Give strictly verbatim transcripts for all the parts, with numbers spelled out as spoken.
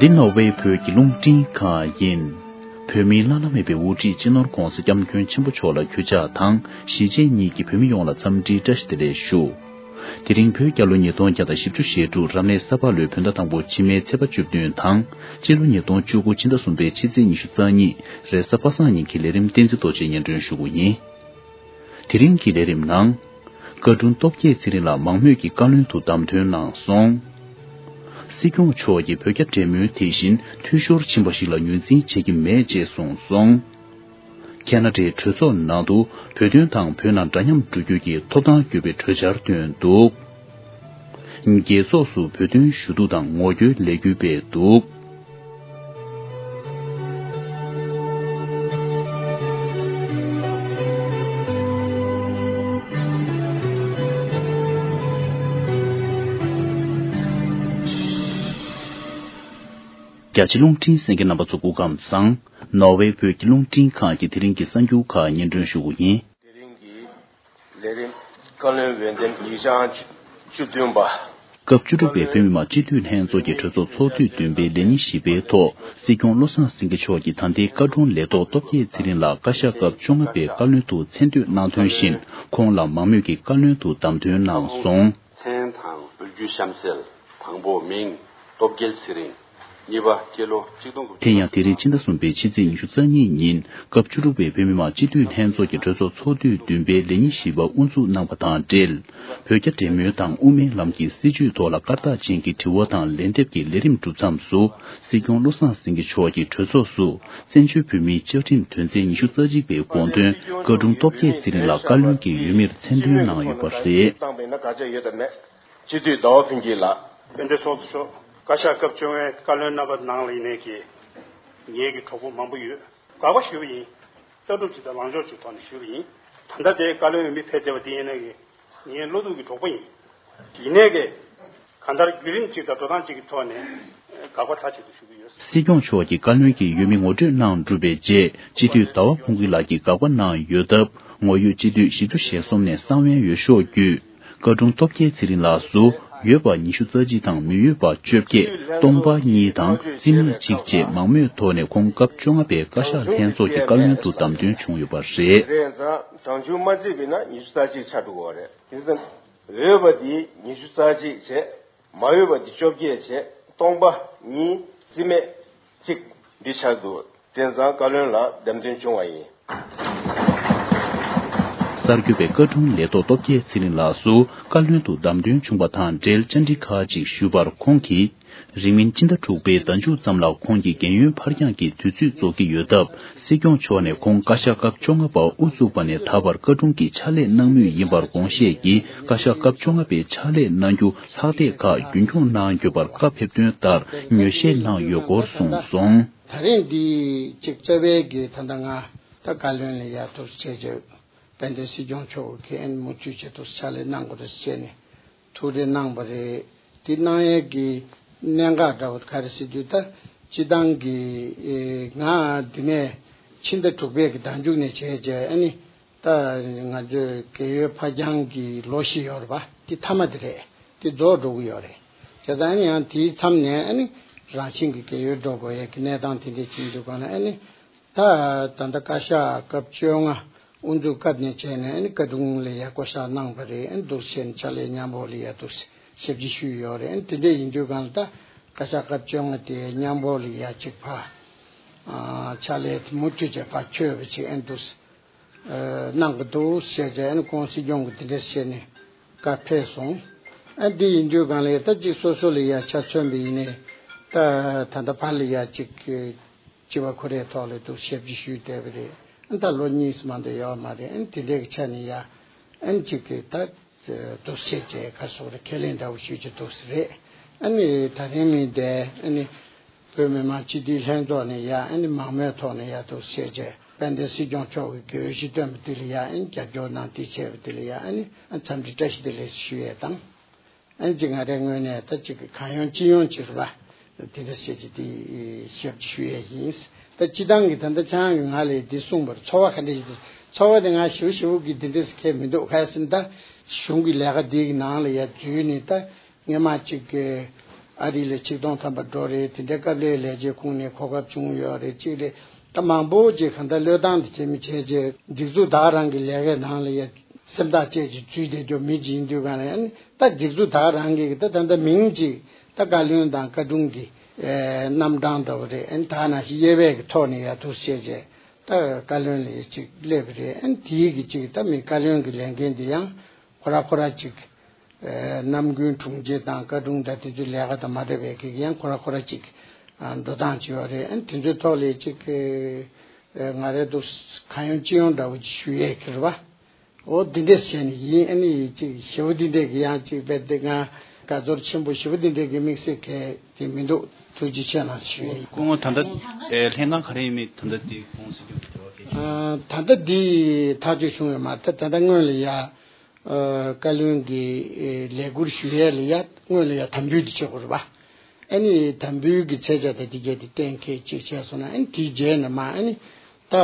འདི་ནོར་ཝེ་བོད་ཀྱི་རླུང་འཕྲིན་ཁང་ཡིན། བོད་མིའི་བླ་ན་མེད་པའི་དབུ་ཁྲིད་སྤྱི་ནོར་༧གོང་ས་༧སྐྱབས་མགོན་ཆེན་པོ་མཆོག་ལ་གུས་ཕྱག་དང་གཞིས་བྱེས་གཉིས་ཀྱི་བོད་མི་ཡོངས་ལ་འཚམས་འདྲིའི་བཀྲ་ཤིས་བདེ་ལེགས་ཞུ། དེ་རིང་བོད་རྒྱལ་ལོ་ཉིས་སྟོང་བརྒྱ་དང་བཞི་བཅུ་ཞེ་དྲུག་རབ་གནས་ས་ཕག་ལོའི་བོད་ཟླ་དང་པོ་ཕྱི་མའི་ཚེས་པ་བཅུ་བདུན་དང་སྤྱི་ལོ་ཉིས་སྟོང་བཅུ་དགུ་ཕྱི་ཟླ་གསུམ་པའི་ཕྱི་ཚེས་ཉི་ཤུ་རྩ་གཉིས་རེས་གཟའ་པ་སངས་ཉིན་གྱི་ལས་རིམ་བསྟན་འཛིན་རྡོ་རྗེས་སྙན་སྒྲོན་ཞུ་རྒྱུ་ཡིན། དེ་རིང་གི་ལས་རིམ་ནང་། བཀའ་དྲུང་སྟོབས་རྒྱལ་ཚེ་རིང་ལགས་མང་མོས་ཀྱིས་བཀའ་བློན་དུ་བདམས་ཐོན་གནང་སོང་། སྲིད་སྐྱོང་མཆོག་གིས་བོད་རྒྱ་འབྲེལ་མོལ་དེ་བཞིན་འཐུས་ཤོར་ཕྱིན་པ་ཞིག་ལ་ངོས་འཛིན་བྱེད་ཀྱི་མེད་ཅེས་གསུངས་སོང་། ཁེ་ན་ཌའི་གྲོས་ཚོགས་ནང་དུ་བོད་དོན་དང་བོད་ནང་འདྲ་མཉམ་འགྲོ་རྒྱུ་གྱི་ཐོབ་ཐང་དགོས་པའི་གྲོས་འཆར་བཏོན་འདུག། རྒྱལ་ཚོགས་སུ་བོད་དོན་ཞུ་གཏུག་དང་ངོ་རྒོལ་ལས་འགུལ་སྤེལ་འདུག། རྒྱ་ཆེ་རླུང་འཕྲིན་གསན་མཁན་རྣམ་པ་ཚོ་སྐུ་ཁམས་བཟང་། ནོར་ཝེ་བོད་ཀྱི་རླུང་འཕྲིན་ཁང་གི་དེ་རིང་གི་གསར་འགྱུར་ཁག་སྙན་སྒྲོན་ཞུ་རྒྱུ་ཡིན། དེ་རིང་གི་ལས་རིམ། བཀའ་བློན་འོས་འདེམས་ཉིན་གྲངས་བཅུ་བདུན་པ། སྐབས་བཅུ་དྲུག་པའི་བོད་མི་མང་སྤྱི་འཐུས་ལྷན་ཚོགས་ཀྱི་གྲོས་ཚོགས་ཚོགས་དུས་བདུན་པའི་ལས་ཉིན་བཞི་པའི་ཐོག་སྲིད་སྐྱོང་བློ་བཟང་སེང་གེ་མཆོག་གིས་ད་ལྟའི་བཀའ་དྲུང་ལས་ཐོག་སྟོབས་རྒྱལ་ཚེ་རིང་ལགས་བཀའ་ཤག་སྐབས་བཅོ་ལྔ་པའི་བཀའ་བློན་དུ་མཚན་བསྟོད་གནང་དོན་བཞིན་ཁོང་ལ་མང་མོས་ཀྱིས་བཀའ་བློན་དུ་བདམས་ཐོན་གནང་སོང་། མཚན་དང་འབུལ་རྒྱུ་གཤམ་གསལ། དང་པོ་མིང་། སྟོབས་རྒྱལ་ཚེ་རིང་། གཉིས་པ་སྐྱེས་ལོ་གཅིག་སྟོང་དགུ་བརྒྱ། དེ་ཡང་དེ་རིང་ཕྱི་ཟླ་གསུམ་པའི་ཕྱི་ཚེས་ཉི་ཤུ་རྩ་གཉིས་ཉིན་སྐབས་བཅུ་དྲུག་པའི་བོད་མི་མང་སྤྱི་འཐུས་ལྷན་ཚོགས་ཀྱི་གྲོས་ཚོགས་ཚོགས་དུས་བདུན་པའི་ལས་ཉིན་བཞི་པ་དབུ་འཛུགས་གནང་བ་དང་འབྲེལ། བོད་རྒྱ་འབྲེལ་མོལ་དང་དབུ་མའི་ལམ་གྱི་སྲིད་བྱུས་ཐོག་ལ་བཀར་རྟགས་ཅན་གྱི་དྲི་བ་དང་ལན་འདེབས་ཀྱི་ལས་རིམ་གྲུབ་མཚམས་སུ། སྲིད་སྐྱོང་བློ་བཟང་སེང་གེ་མཆོག་གིས་གྲོས་ཚོགས་སུ། བཙན་བྱོལ་བོད་མིའི་བཅའ་ཁྲིམས་དོན་ཚན་ཉི་ཤུ་རྩ་གཅིག་པའི་དགོངས་དོན་བཀའ་དྲུང་སྟོབས་རྒྱལ་ཚེ་རིང་ལགས་བཀའ་བློན་གྱི་འོས་མིར་མཚན་འདོན་གནང་ཡོད་པ་རེད། སྤྱི་འཐུས་ཟླ་བ་ཕུན་སྐྱིད་ལགས། སྤེན་པ་ཚོགས་གཙོ་མཆོག། བཀའ་ཤག་སྐབས་བཅོ་ལྔའི་བཀའ་བློན་རྣམ་པ་ནང་ལ་ཡིན་ནའི་གི་ངེད་ཀྱི་གྲོགས་པོ་མང་པོ་ཡོད། དགག་པ་ཞུས་པ་ཡིན། ལྟ་གྲུབ་ཅིག་དང་ལངས་ཕྱོགས་ཅིག་ཐོག་ནས་ཞུས་པ་ཡིན། ད་ལྟ་དེའི་བཀའ་བློན་འོས་མི་ཕེབས་བསྡད་པ་དེ་ཡིན་ནའི་གི་ངའི་བློ་ཐུག་གི་གྲོགས་པོ་ཡིན། ཡིན་ནའི་གི་གང་ལྟར་བརྒྱུད་རིམ་ཅིག་དང་འགྲོ་སྟངས་ཅིག་གི་ཐོག་ནས་དགག་པ་མཐའ་གཅིག་ཏུ་ཞུ་གི་ཡོད། སྲིད་སྐྱོང་མཆོག་གིས་བཀའ་བློན་གྱི་འོས་མི་ངོ་སྤྲོད་གནང་གྲུབ་པའི་རྗེས་སྤྱི་འཐུས་ཟླ་བ་ཕུན་སྐྱིད་ལགས་ཀྱིས་དགག་པ་གནང་ཡོད་སྟབས་ངོ་ཡོད་སྤྱི་འཐུས་བཞི་བཅུ་ཞེ་གསུམ་ནས་གསང་བའི་འོས་ཤོག་བརྒྱུད། བཀའ་དྲུང་སྟོབས་རྒྱལ་ཚེ་རིང་ལགས་སུ་ཡོད་པ་ཉི་ཤུ་རྩ་གཅིག་དང་མི་ཡོད་པ་བཅོ་བརྒྱད། སྟོང་པ་གཉིས་དང་རྩིས་མེད་གཅིག་བཅས་མང་མོས་ཐོག་ནས་ཁོང་སྐབས་བཅོ་ལྔ་པའི་བཀའ་ཤག་ལྷན་ཚོགས་ཀྱི་བཀའ་བློན་དུ་བདམས་ཐོན་བྱུང་ཡོད་པ་རེད། རེད་ཙང་གྲངས་ཆུང་མ་བརྩིས་པ་ཡིན་ན་ཉི་ཤུ་རྩ་གཅིག་ཆགས་འགྲོ་གི་རེད། དེ་ཙང་ཡོད་པ་འདི་ཉི་ཤུ་རྩ་གཅིག་བྱས། མ་ཡོད་པ་འདི་བཅོ་བརྒྱད་བྱས། སྟོང་པ་གཉིས། རྩིས་མེད་གཅིག་འདི་ཆགས་འདུག། དེ་ཙང་བཀའ་བློན་ལ་བདམས་ཐོན་བྱུང་བ་ཡིན། གསར་འགོད་པས་བཀའ་དྲུང་ལས་ཐོག་སྟོབས་རྒྱལ་ཚེ་རིང་ལགས་སུ་བཀའ་བློན་དུ་བདམས་ཐོན་བྱུང་བ་དང་འབྲེལ་བཅར་འདྲི་ཁག་ཅིག་ཞུས་པར་ཁོང་གིས། རིང་མིན་སྤྱི་ཟླ་དྲུག་པའི་ཟླ་མཇུག་ཙམ་ལ་ཁོང་གི་རྒན་ཡོལ་ཕར་འགྱངས་ཀྱི་དུས་ཚོད་རྫོགས་ཀྱི་ཡོད་སྟབས། སྲིད་སྐྱོང་མཆོག་ནས་ཁོང་བཀའ་ཤག་སྐབས་བཅོ་ལྔ་པ་དབུ་བཙུགས་པ་ནས་ད་བར་བཀའ་དྲུང་གི་ཕྱག་ལས་གནང་མུས་ཡིན་པར་དགོངས་བཞེས་ཀྱིས། བཀའ་ཤག་སྐབས་བཅོ་ལྔ་པའི་ཕྱག་ལས་གནང་རྒྱུ་ལྷག་བསྡད་ཁག་རྒྱུན་འཁྱོངས་གནང་དགོས་པར་བཀའ་ཕེབས་དོན་ལྟར་ངོས་བཞེས་གནང་ཡོད་སྐོར་གསུངས་སོང་། ད་རིང་འདི་གཅིག་རྩ་བའི་གི་ད་ལྟ་ང་ད་བཀའ་བློན་ལ་ཡར་ཐུགས་རྗེ་ཆེ། དཔལ་ལྡན་སྲིད་སྐྱོང་མཆོག་གིས་ཨན་མུ་མཐུད་བྱས་ཐུགས་ཕྱག་ལས་གནང་དགོས་རེད་ཟེར་ནས་ཐུགས་རེ་གནང་བ་རེད། དེ་གནང་ཡས་ཀྱི་གནད་འགག་འདྲ་བོ་ག་རེ་ཟེར་དུས་ད་སྤྱི་བཏང་གི་ཨེ་ང་འདི་ནས་ཕྱི་ཟླ་དྲུག་པའི་གི་ཟླ་མཇུག་ནས་བྱས་རྗེས་ཨ་ནི་ད་ང་ཚོའི་རྒས་ཡོལ་ཕར་འགྱངས་ཀྱི་ལོ་བཞི་ཡོད་རེད་པ། དེ་མཐའ་མ་དེ་རེད། དེ་རྫོགས་འགྲོ་གི་ཡོད་རེད། བྱས་ཙང་ཨ་ནི་ཡང་དེའི་མཚམས་ནས་ཨ་ནི་རང་བཞིན་གྱི་རྒས་ཡོལ་འགྲོ་དགོས་ཡས་ཀྱི་གནས་སྟངས་དེ་འདྲས་ཕྱིན་དུས་གང་ལ་ཨ་ནི། ད་ད་ལྟ་བཀའ་ཤག་སྐབས་བཅོ་ལྔ་དབུ་འཛུགས་སྐབས་ནས་བྱས་ནས་ཨ་ནི་བཀའ་དྲུང་ལ་ཡ་བསྐོ་བཞག་གནང་བ་རེད། ཨ་ནི་འདུག་བྱས་ནས་ཕྱག་ལས་མཉམ་པོ་ལ་ཡ་འདུག་ཞབས་ཕྱི་ཞུས་ཡོད་རེད། ཨ་ནི་དེ་འདྲ་ཡིན་དུས་གང་ལ་ད་བཀའ་ཤག་སྐབས་བཅོ་ལྔ་དེ་མཉམ་པོ་ལ་ཡ་གཅིག་ཕ་ཕྱག་ལས་མུ་མཐུད་བྱས་ཕ་འཁྱོལ་བ་ཅིག་ཨ་ནི་འདུག་གནང་གི་འདུག་བྱས་རྗེས་ཨ་ནི་ཁོང་སྲིད་སྐྱོང་གི་དེ་འདྲ་བྱས་ནས་བཀའ་ཕེབས་སོང་། ཨ་ནི་དེ་ཡིན་དུས་གང་ལ་ཡ་ད་གཅིག་སོ་སོ་ལ་ཡ་ཆ་མཚོན་པ་ཡིན་ནའི་ད་ད་ལྟ་ཕ་ལ་ཡ་གཅིག་སྤྱི་བ་ཁོ་རའི་ཐོག་ལ་འདུག་ཞབས་ཕྱི་ཞུས་བསྡད་པ་རེད། ཨ་ནི་ད་ལོ་གཉིས་སུ་མ་འདས་ཡོད་མ་རེད། ཨ་ནི་དེ་འདྲའི་གི་ཆ་ནས་ཡ་ཨ་ནི་གཅིག་གི་ད་འདུག་བྱས་རྗེས་ག་རེ་ཟེར་དགོས་རེད། ཁས་ལེན་འདྲ་བོ་ཞུས་ཀྱི་འདུག་ས་རེད། ཨ་ནི་ད་རིང་མིན་དེ་ཨ་ནི་བོད་མི་མང་སྤྱི་འཐུས་ལྷན་ཚོགས་ནས་ཡ་ཨ་ནི་མང་མོས་ཐོག་ནས་ཡ་འདུག་བྱས་རྗེས་དཔལ་ལྡན་སྲིད་སྐྱོང་མཆོག་གི་འོས་གཞི་བཏོན་པ་དེ་ལ་ཡ་ཨ་ནི་རྒྱབ་སྐྱོར་གནང་དེ་བྱས་པ་དེ་ལ་ཡ་ཨ་ནི་འཚམས་འདྲི་བཀྲ་ཤིས་བདེ་ལེགས་ཞུ་ཡས་དང་། ཨ་ནི་གཅིག་ང་རའི་ངོས་ནས་ད་གཅིག་གི་གང་ཡོང་ཅི་ཡོང་ཅིག་རེད་པ། དེ་འདྲ་བཤད་ཀྱི་དེ་ཞབས་ཀྱི་ཞུ་ཡས་ཡིན། ད་སྤྱི་བཏང་གི་ད་ལྟ་ཆང་གི་ང་ལས་འདི་གསུངས་པར་ཚོར་བ་ག་འདྲ་ཞིག་འདུག། ཚོར་བ་དེ་ང་ཞིབ་ཞིབ་གི་དེ་འདྲ་ཁས་མི་འདུག། ག་ཟེར་ན་ད་གཞུང་གི་ལས་ཀ་འདི་གི་ནང་ལ་ཡ་འཛུལ་ནས་ད་སྔས་མ་གཅིག་གི་ ཨ་རི་ལ་ཆིག་སྟོང་ཐམ་པ་འགྲོ་རེད། དེ་འདྲའི་སྐབས་ལ་ལས་བྱེད་ཁོངས་ནས་གོ་སྐབས་བྱུང་ཡོད་རེད། གཅིག་རེད། ད་མང་པོ་ཅིག་གང་ལྟར་བློས་བཏང་དེ་བྱེད་མི་བྱས་རྗེས་སྒྲིག་འཛུགས་ད་ག་རང་གི་ལས་ཀའི་ནང་ལ་ཡ་སེམས་ཐག་བཅད་ཅིག་འཛུལ་བསྡད་རྒྱུ་མི་ཅིག་ཡིན་དུས་གང་ལ་ཡ་ནི་ད་སྒྲིག་འཛུགས་ད་ག་རང་གི་ད་ད་ལྟ་མིང་ཅིག་ད་བཀའ་བློན་དང་བཀའ་དྲུང་གི་ཨེ་རྣམ་གྲངས་འདྲ་བོ་རེད། ཨ་ནི་ད་ག་ནང་བཞིན་དབྱེ་བའི་གི་ཐོག་ནས་ཡ་འདུག་བྱས་རྗེས་ད་བཀའ་བློན་ལ་ཡ་ཅིག་སླེབས་པ་རེད། ཨ་ནི་དེའི་གི་ཅིག་ད་མི་བཀའ་བློན་གི་ལས་འགན་དེ་ཡང་ཁོ་ར་ཁོ་ར་ཅིག་ཨེ་ནམ་རྒྱུན་དྲུང་ཆེ་དང་བཀའ་དྲུང་དང་དེ་ཚོའི་ལས་ཀ་དང་མ་འདྲ་བའི་གི་ཡང་ཁོ་ར་ཁོ་ར་ཅིག་ཨ་འགྲོ་སྟངས་ཅིག་ཡོད་རེད། ཨ་ནི་དེ་ཚོའི་ ཐོག་ལ་ཅིག་ཨེ་ང་རེ་འདུག་གང་ཡོང་ཅི་ཡོང་འདྲ་བོ་ཅིག་ཞུ་ཡས་ཀྱི་རེད་བ། འོ་འདི་འདྲས་བྱས་ནས་ཡིན། ཨ་ནི་ཅིག་ཞེ་པོ་འདི་འདྲས་ཀྱི་ཡང་ཅིག་རྦད་དེ་ང་དགའ་ཚོར་ཆེན་པོ་ཞེ་པོ་འདི་འདྲས་ཀྱི་དམིགས་བསལ་གལ་དེ་མི་འདུག་ཐུགས་རྗེ་ཆེ་གནང་ཞུ་ཡས་ཡིན། སྐུ་ངོ་ད་ལྟ་ཨེ་ལྷན་ཁང་ག་རེ་ཡིན་མིན་ད་ལྟ་དེ་ཁོང་སྲིད་སྐྱོང་གི་འབྲེལ་བ་གལ་ཆེ། ཨ་ད་ལྟ་འདི་ཐག་གཅོད་བྱུང་ཡོད་མ་རེད། ད་ད་ལྟ་སྔོན་ལ་ཡ་ཨ་བཀའ་བློན་གྱི་ཨེ་ལས་ཁུར་ཞུ་ཡས་ལ་ཡ་སྔོན་ལ་ཡ་དམ་འབུལ་འདི་བྱེད་དགོས་རེད་པ། ཨ་ནི་དམ་འབུལ་གྱི་ཆད་ཆ་དང་དེ་གྱད་དེ་གཏན་འཁེལ་ཅིག་བྱས་སོང་ན། ཨ་ནི་དེའི་རྗེས་ནས་མ་ཨ་ནི་ད་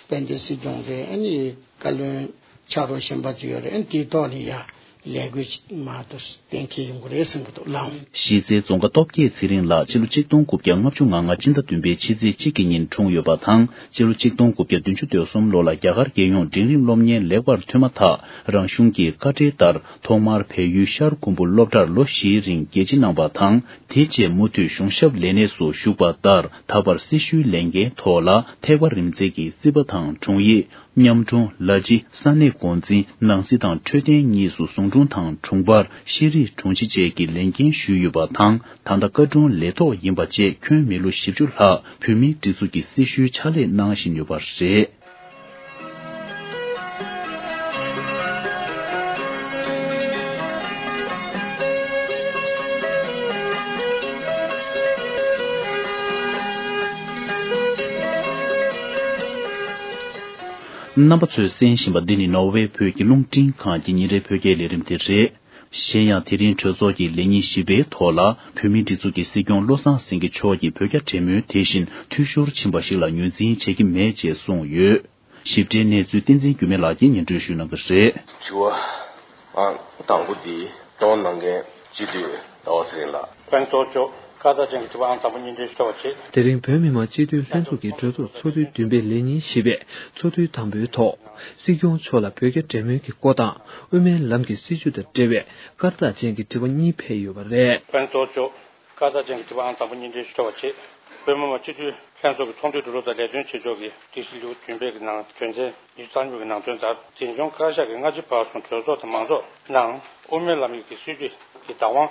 དཔལ་ལྡན་སྲིད་སྐྱོང་རེད། ཨ་ནི་བཀའ་བློན་ཕྱག་རོགས་གཞན་པ་ཚོ་ཡོད་རེད། ཨ་ནི་དེའི་ཐོག་ནས་ཡ་ལས་འགུལ་མ་གཏོགས་གཏན་འཁེལ་ཡོང་གི་རེད་བསམ་གྱི་འདུག་ལགས། གཞིས་རྩེའི་རྫོང་དགའ་སྟོབས་རྒྱས་ཚེ་རིང་ལགས་ཕྱི་ལོ་ཆིག་སྟོང་དགུ་བརྒྱ་ལྔ་བཅུ་ང་ལྔ་སྤྱི་ཟླ་བདུན་པའི་ཕྱི་ཚེས་གཅིག་གི་ཉིན་འཁྲུངས་ཡོད་པ་དང་། ཕྱི་ལོ་ཆིག་སྟོང་དགུ་བརྒྱ་བདུན་ཅུ་དོན་གསུམ་ལོ་ལ་རྒྱ་གར་རྒྱལ་ཡོངས་འབྲིང་རིམ་སློབ་གཉེར་ལེགས་པར་ཐོན་མ་ཐག་རང་གཞུང་གི་བཀའ་འབྲེལ་ལྟར་ཐོག་མར་བལ་ཡུལ་ཤར་ཁུམ་བུ་སློབ་གྲྭར་ལོ་བཞིའི་རིང་རྒྱལ་ཕྱི་གནང་བ་དང་། དེ་རྗེས་མུ་མཐུད་གཞུང་ཞབས་ལས་གནས་སུ་ཞུགས་པ་ལྟར། ད་བར་སྲི་ཞུའི་ལས་འགན་ཐོག་ལ་ཐེག་པ་རིམ་འཛིན་གྱི་སྲིད་པ་དང་དྲུང་ཡིག་མཉམ་དྲུང་ལ་ཕྱི་ས་གནས་འགོ་འཛིན་ནང་སྲིད་དང་འཕྲོད་བསྟེན་གཉིས་སུ་ཟུང་དྲུང་དང་དྲུང་འཕར་ཤེས་རིག་དྲུང་ཆེ་བཅས་ཀྱི་ལས་འགན་ཞུས་ཡོད་པ་དང་། ད་ལྟ་བཀའ་དྲུང་ལས་ཐོག་ཡིན་པ་བཅས་ཁྱོན་མི་ལོ་བཞི་བཅུ་ལྷག་བོད་མིའི་སྒྲིག་འཛུགས་ཀྱི་སྲི་ཞུའི་ཕྱག་ལས་གནང་བཞིན་ཡོད་པ་རེད། རྣམ་པ་ཚོས་གསན་བཞིན་པ་འདི་ནི་ནོར་ཝེ་བོད་ཀྱི་རླུང་འཕྲིན་ཁང་གི་ཉིན་རེའི་བོད་སྐད་ལས་རིམ་དེ་རེད། གཞན་ཡང་དེ་རིང་གྲོས་ཚོགས་ཀྱི་ལས་ཉིན་བཞི་པའི་ཐོག་ལ་བོད་མིའི་སྒྲིག་འཛུགས་ཀྱི་སྲིད་སྐྱོང་བློ་བཟང་སེང་གེ་མཆོག་གིས་བོད་རྒྱ་འབྲེལ་མོལ་དེ་བཞིན་འཐུས་ཤོར་ཕྱིན་པ་ཞིག་ལ་ངོས་འཛིན་བྱེད་ཀྱི་མེད་ཅེས་གསུངས་ཡོད། ཞིབ་ཕྲའི་གནས་ཚུལ་བསྟན་འཛིན་འགྱུར་མེད་ལགས་ཀྱིས་སྙན་སྒྲོན་ཞུ་གནང་གི་རེད། དྲི་བ་ཨང་དང་པོ་འདི་གཏོང་གནང་མཁན་སྤྱི་འཐུས་ཟླ་བ་ཚེ་རིང་ལགས། ཕན་ཐོགས་ཆོག་ཁ་ཚ་ཅན་གྱི་དྲི་བ་ཨང་དང་པོ་གཉིས་འདྲེན་ཞུ་ཐུབ་པ་བྱེད། དེ་རིང་བོད་མི་མང་སྤྱི་འཐུས་ལྷན་ཚོགས་ཀྱི་གྲོས་ཚོགས་ཚོགས་དུས་བདུན་པའི་ལས་ཉིན་བཞི་པའི་ཚོགས་དུས་དང་པོའི་ཐོག་སྲིད་སྐྱོང་མཆོག་ལ་བོད་རྒྱ་འབྲེལ་མོལ་གྱི་སྐོར་དང་། དབུ་མའི་ལམ་གྱི་སྲིད་བྱུས་དང་འབྲེལ་བའི་སྐར་རྟགས་ཅན་གྱི་དྲི་བ་གཉིས་ཕེབས་ཡོད་པ་རེད། ཕན་ཐོགས་ཆོག་ཁ་ཚ་ཅན་གྱི་དྲི་བ་ཨང་དང་པོ་གཉིས་འདྲེན་ཞུ་ཐུབ་པ་བྱེད། བོད་མི་མང་སྤྱི་འཐུས་ལྷན་ཚོགས་ཀྱི་ཚོགས་འདུའི་གྲོས་ཚོགས་དང་ལས་དོན་བྱེད་ཕྱོགས་ཀྱི་སྒྲིག་གཞི་ལེའུ་བདུན་པའི་གི་ནང་དོན་ཚན་ཉི་ཤུ་རྩ་གཉིས་པའི་ནང་དོན་ལྟར། འཛིན་སྐྱོང་བཀའ་ཤག་གིས་སྔ་ཕྱི་བར་གསུམ་གྲོས་ཚོགས་དང་མང་ཚོགས་ནང་དབུ་མའི་ལམ་ཡིག་གི་སྲིད་བྱུས་ཀྱི་བདག་དབང་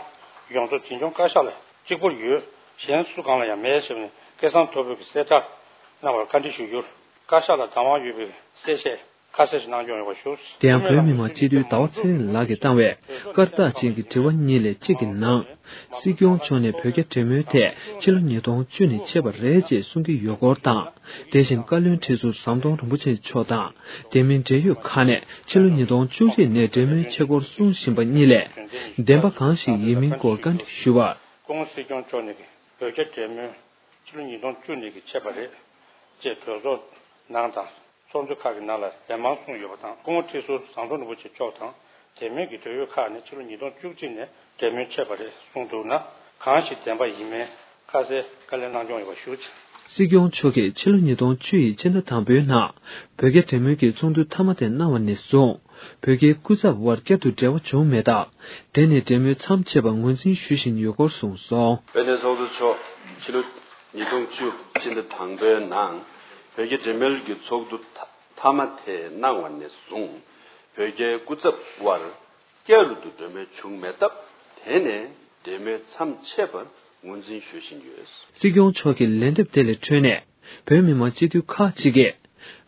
ཡོངས་རྫོགས་འཛིན་སྐྱོང་བཀའ་ཤག་ལ་གཅིག་པུར་ཡོད། གཞན་སུ་གང་ལ་ཡང་མེད་ཞེས་ནས་སྐད་གསང་མཐོ་པོས་ཀྱི་གསལ་བསྒྲགས་གནང་བར་བཀའ་འདྲི་ཞུ་རྒྱུར། བཀའ་ཤག་ལ་བདག་དབང་ཡོད་པའི་གསལ་བཤད་ཁ་གསལ་ཞིག་གནང་སྐྱོང་ཡོང་བ་ཞུ། དེ་ཡང་བོད་མི་མང་སྤྱི་འཐུས་ཟླ་བ་ཚེ་རིང་ལགས་ཀྱིས་བཏང་བའི་སྐར་རྟགས་ཅན་གྱི་དྲི་བ་གཉིས་ལས་གཅིག་གི་ནང་། སྲིད་སྐྱོང་མཆོག་ནས་བོད་རྒྱ་འབྲེལ་མོལ་ཐད་ཕྱི་ལོ་ཉིས་སྟོང་བཅུ་ནས་ཆད་པ་རེད་ཅེས་གསུང་གི་ཡོད་སྐོར་དང་། དེ་བཞིན་བཀའ་བློན་ཁྲི་ཟུར་ཟམ་གདོང་རིན་པོ་ཆེ་མཆོག་དང་། དེ་མིན་འབྲེལ་ཡོད་ཁག་ནས་ཕྱི་ལོ་ཉིས་སྟོང་བཅུ་གཅིག་ནས་འབྲེལ་མོལ་བྱེད་སྐོར་གསུང་བཞིན་པ་གཉིས་ལས། བདེན་པ་གང་ཞིག་ཡིན་མིན་སྐོར་བཀའ་འདྲི་ཞུ་བར། སྐུ་ངོ་སྲིད་སྐྱོང་མཆོག་ནས་ཀྱི་བོད་རྒྱ་འབྲེལ་མོལ་ཕྱི་ལོ་ཉིས་སྟོང་བཅུ་ནས་ཀྱི་ཆད་པ་རེད་ཅེས་གྲོས་ཚོགས་ནང་དང་། ཚོགས་འདུ་ཁག་གི་ནང་ལ་ལན་མང་གསུངས་ཡོད་པ་དང་། སྐུ་ངོ་ཁྲི་ཟུར་ཟམ་གདོང་རིན་པོ་ཆེ་མཆོག་དང་། དེ་མིན་གྱི་འབྲེལ་ཡོད་ཁག་ནས་ཕྱི་ལོ་ཉིས་སྟོང་བཅུ་གཅིག་ནས་འབྲེལ་མོལ་ཆད་པ་རེད་གསུངས་འདུག་ན། གང་ཞིག་བདེན་པ་ཡིན་མིན་ཁ་གསལ་བཀའ་ལན་གནང་སྐྱོང་ཡོང་བ་ཞུ། སྲིད་སྐྱོང་མཆོག་གིས་ཕྱི་ལོ་ཉིས་སྟོང་བཅུ་ཡི་ཕྱི་ཟླ་དང་པོའི་ནང་བོད་རྒྱ་འབྲེལ་མོལ་གྱི་ཚོགས་འདུ་མཐའ་མ་དེ་གནང་བ་ནས་བཟུང་། བོད་རྒྱའི་སྐུ་ཚབ་དབར་བསྐྱར་དུ་འབྲེལ་བ་བྱུང་མེད་སྟབས། དེ་ནས་འབྲེལ་མོལ་མཚམས་ཆད་པ་ངོས་འཛིན་ཞུ་བཞིན་ཡོད་སྐོར་གསུངས་སོང་། དཔལ་ལྡན་ཚོགས་གཙོ་མཆོག་ཕྱི་ལོ་ཉིས་སྟོང་བཅུ་ཕྱི་ཟླ་དང་པོའི་ནང་བོད་རྒྱ་འབྲེལ་མོལ་གྱི་ཚོགས་འདུ་མཐའ་མ་དེ་གནང་བ་ནས་བཟུང་། བོད་རྒྱའི་སྐུ་ཚབ་དབར་བསྐྱར་དུ་འབྲེལ་མོལ་བྱུང་མེད་སྟབས། དེ་ནས་འབྲེལ་མོལ་མཚམས་ཆད་པར་ངོས་འཛིན་ཞུ་བཞིན་ཡོད། སྲིད་སྐྱོང་མཆོག་གི་ལན་འདེབས་དེ་ལས་འཕྲོས་ནས། བོད་མི་མང་སྤྱི་འཐུས་ཁག་ཅིག་གིས།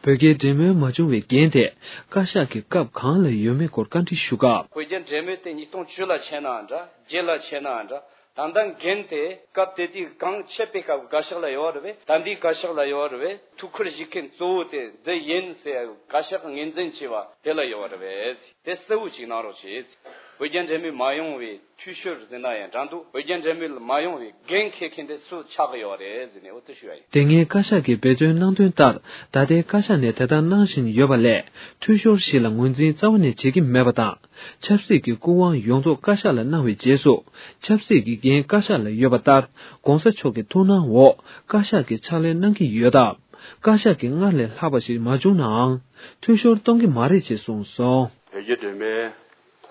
བོད་རྒྱའི་འབྲེལ་མོལ་མ་བྱུང་བའི་འགན་དེ། བཀའ་ཤག་གི་སྐབས་གང་ལ་ཡོད་མེད་སྐོར་བཀའ་འདྲི་ཞུ་སྐབས། བོད་རྒྱ་འབྲེལ་མོལ་དེ་ཉིས་སྟོང་བཅུ་ལ་ཆད་ནའང་འདྲ། བརྒྱད་ལ་ཆད་ནའང་འདྲ། ད་ལྟ་འགན་དེ་སྐབས་དེ་དུས་གང་ཆད་པའི་སྐབས་བཀའ་ཤག་ལ་ཡོད་རེད་པས། ད་འདི་བཀའ་ཤག་ལ་ཡོད་རེད་པས། ཐུགས་ཁུར་བཞེས་མཁན་གཙོ་བོ་དེ་འདི་ཡིན་ཟེར་བཀའ་ཤག་ངོས་འཛིན་བྱས་པ་དེ་ལ་ཡོད་རེད་པས། དེ་གསལ་བོ་ཅིག་གནང་རོགས་བྱེད། ཨོ་རྒྱན་འབྲེལ་མོལ་མ་ཡོང་བའི་འཐུས་ཤོར་ཟེར་ན་ཡང་འདྲ་འདུག་ཨོ་རྒྱན་འབྲེལ་མོལ་མ་ཡོང་བའི་འགན་འཁྱེར་མཁན་དེ་སུ་ཆགས་ཀྱི་ཡོད་རེད་ཟེར་ནས་འོ་དེ་ཞུ་ཡ་ཡིན། དེ་སྔའི་བཀའ་ཤག་གིས་འབད་བརྩོན་གནང་དོན་ལྟར། ད་ལྟའི་བཀའ་ཤག་ནས་དེ་ལྟར་གནང་བཞིན་ཡོད་པ་ལས། འཐུས་ཤོར་ཞིག་ལ་ངོས་འཛིན་རྩ་བ་ནས་བྱེད་ཀྱི་མེད་པ་དང་། ཆབ་སྲིད་ཀྱི་སྐུ་དབང་ཡོངས་རྫོགས་བཀའ་ཤག་ལ་གནང་བའི་རྗེས་སུ། ཆབ་སྲིད་ཀྱི་འགན་བཀའ་ཤག་ལ་ཡོད་པ་ལྟར། ༸གོང་ས་མཆོག་གི་ཐུགས་སྣང་འོག་བཀའ་ཤག་གིས་ཕྱག་ལས་གནང་གི་ཡོད་སྟབས། བཀའ་ཤག་གིས་སྔར་ལས་ལྷག་པ་ཞིག་མ་བྱུང་ནའང་། འཐུས་ཤོར་གཏོང་གི་མ་རེད་ཅེས་གསུངས་སོང་། བོད་རྒྱ་འབྲེལ་མོལ་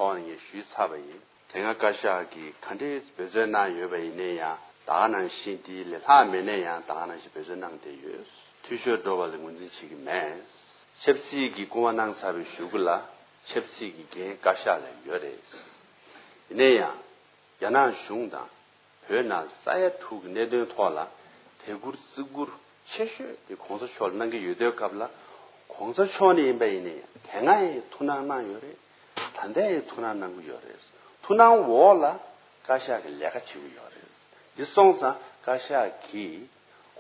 ཐོག་ནས་ངས་ཞུས་ཚར་བ་ཡིན། དེ་སྔ་བཀའ་ཤག་གིས་ག་འདྲས་འབད་བརྩོན་གནང་ཡོད་པ་ཡིན་ན་ཡང་ད་ག་ནང་བཞིན་དེ་ལས་ལྷག་མེད་ན་ཡང་ད་ག་ནང་བཞིན་འབད་བརྩོན་གནང་བསྡད་ཡོད། འཐུས་ཤོར་འགྲོ་བ་ལ་ངོས་འཛིན་བྱེད་ཀྱི་མེད། ཆབ་སྲིད་ཀྱི་སྐུ་དབང་གནང་ཚར་བའི་གཞུག་གུ་ལ་ཆབ་སྲིད་ཀྱི་འགན་བཀའ་ཤག་ལ་ཡོད་རེད། ཡིན་ན་ཡང་རྒྱ་ནག་གཞུང་དང་བོད་ནང་ས་ཡ་དྲུག་གི་གནད་དོན་ཐོག་ལ་དད་བཀུར་བརྩི་བཀུར་ཆེ་ཤོས་དེ་གོང་ས་མཆོག་ལ་གནང་གི་ཡོད་དུས་སྐབས་ལ་གོང་ས་མཆོག་ནས་ཡིན་པ་ཡིན་ན་ཡང་དེ་སྔ་ཡང་ཐུགས་སྣང་གནང་ཡོད་རེད། ད་ལྟ་ཡང་ཐུགས་སྣང་གནང་གི་ཡོད་རེད། ཐུགས་སྣང་འོག་ལ་བཀའ་ཤག་གི་ལས་ཀ་བྱེད་ཀྱི་ཡོད་རེད། འདི་སོང་ཙང་བཀའ་ཤག་གིས་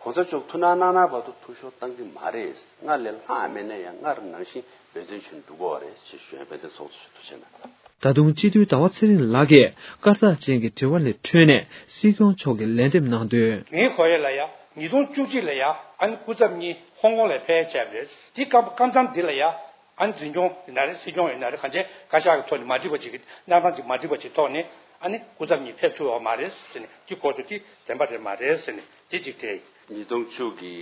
གོང་ས་མཆོག་ཐུགས་སྣང་གནང་ན་བར་དུ་འཐུས་ཤོར་གཏང་གི་མ་རེད། སྔར་ལས་ལྷག་མེད་ན་ཡང་སྔར་ནང་བཞིན་འབད་བརྩོན་བྱས་ནས་འགྲོ་དགོས་པ་རེད་ཅེས་ཞུ་ཡ། དཔལ་ལྡན་ཚོགས་གཙོ་མཆོག་ཐུགས་རྗེ་གནང་། ད་དུང་སྤྱི་འཐུས་ཟླ་བ་ཚེ་རིང་ལགས་ཀྱིས་སྐར་རྟགས་ཅན་གྱི་དྲི་བ་ལས་འཕྲོས་ནས་སྲིད་སྐྱོང་མཆོག་གིས་ལན་འདེབས་གནང་དོན། ངའི་གོ་ཡ་ལ་ཡ། ཉིས་སྟོང་བཅུ་གཅིག་ལ་ཡ། ཨ་ནི་སྐུ་ཚབ་གཉིས་ཧོང་ཀོང་ལ་ཕེབས་བྱས་པ་རེད། དེ་སྐབས་སྐབས་མཚམས་འདི་ལ་ཡ། ཨ་ནི་འཛིན་སྐྱོང་ཡིན་ན་རེད། སྲིད་སྐྱོང་ཡིན་ན་རེད། གང་ཅི་བཀའ་ཤག་གི་ཐོག་ནས་མ་འགྲིག་པ་ཅིག་གི་གནས་སྟངས་ཅིག་མ་འགྲིག་པ་ཅིག་ཐོག་ནས་ཨ་ནི་སྐུ་ཚབ་གཉིས་ཕེབས་ཐུབ་པ་མ་རེད་ཟེར་ནས་དེ་གོ་ཐུབ། དེ་བདེན་པ་རེད་མ་རེད་ཟེར་ནས་དེ་གཅིག་དྲིས། ཉིས་སྟོང་བཅུ་གི་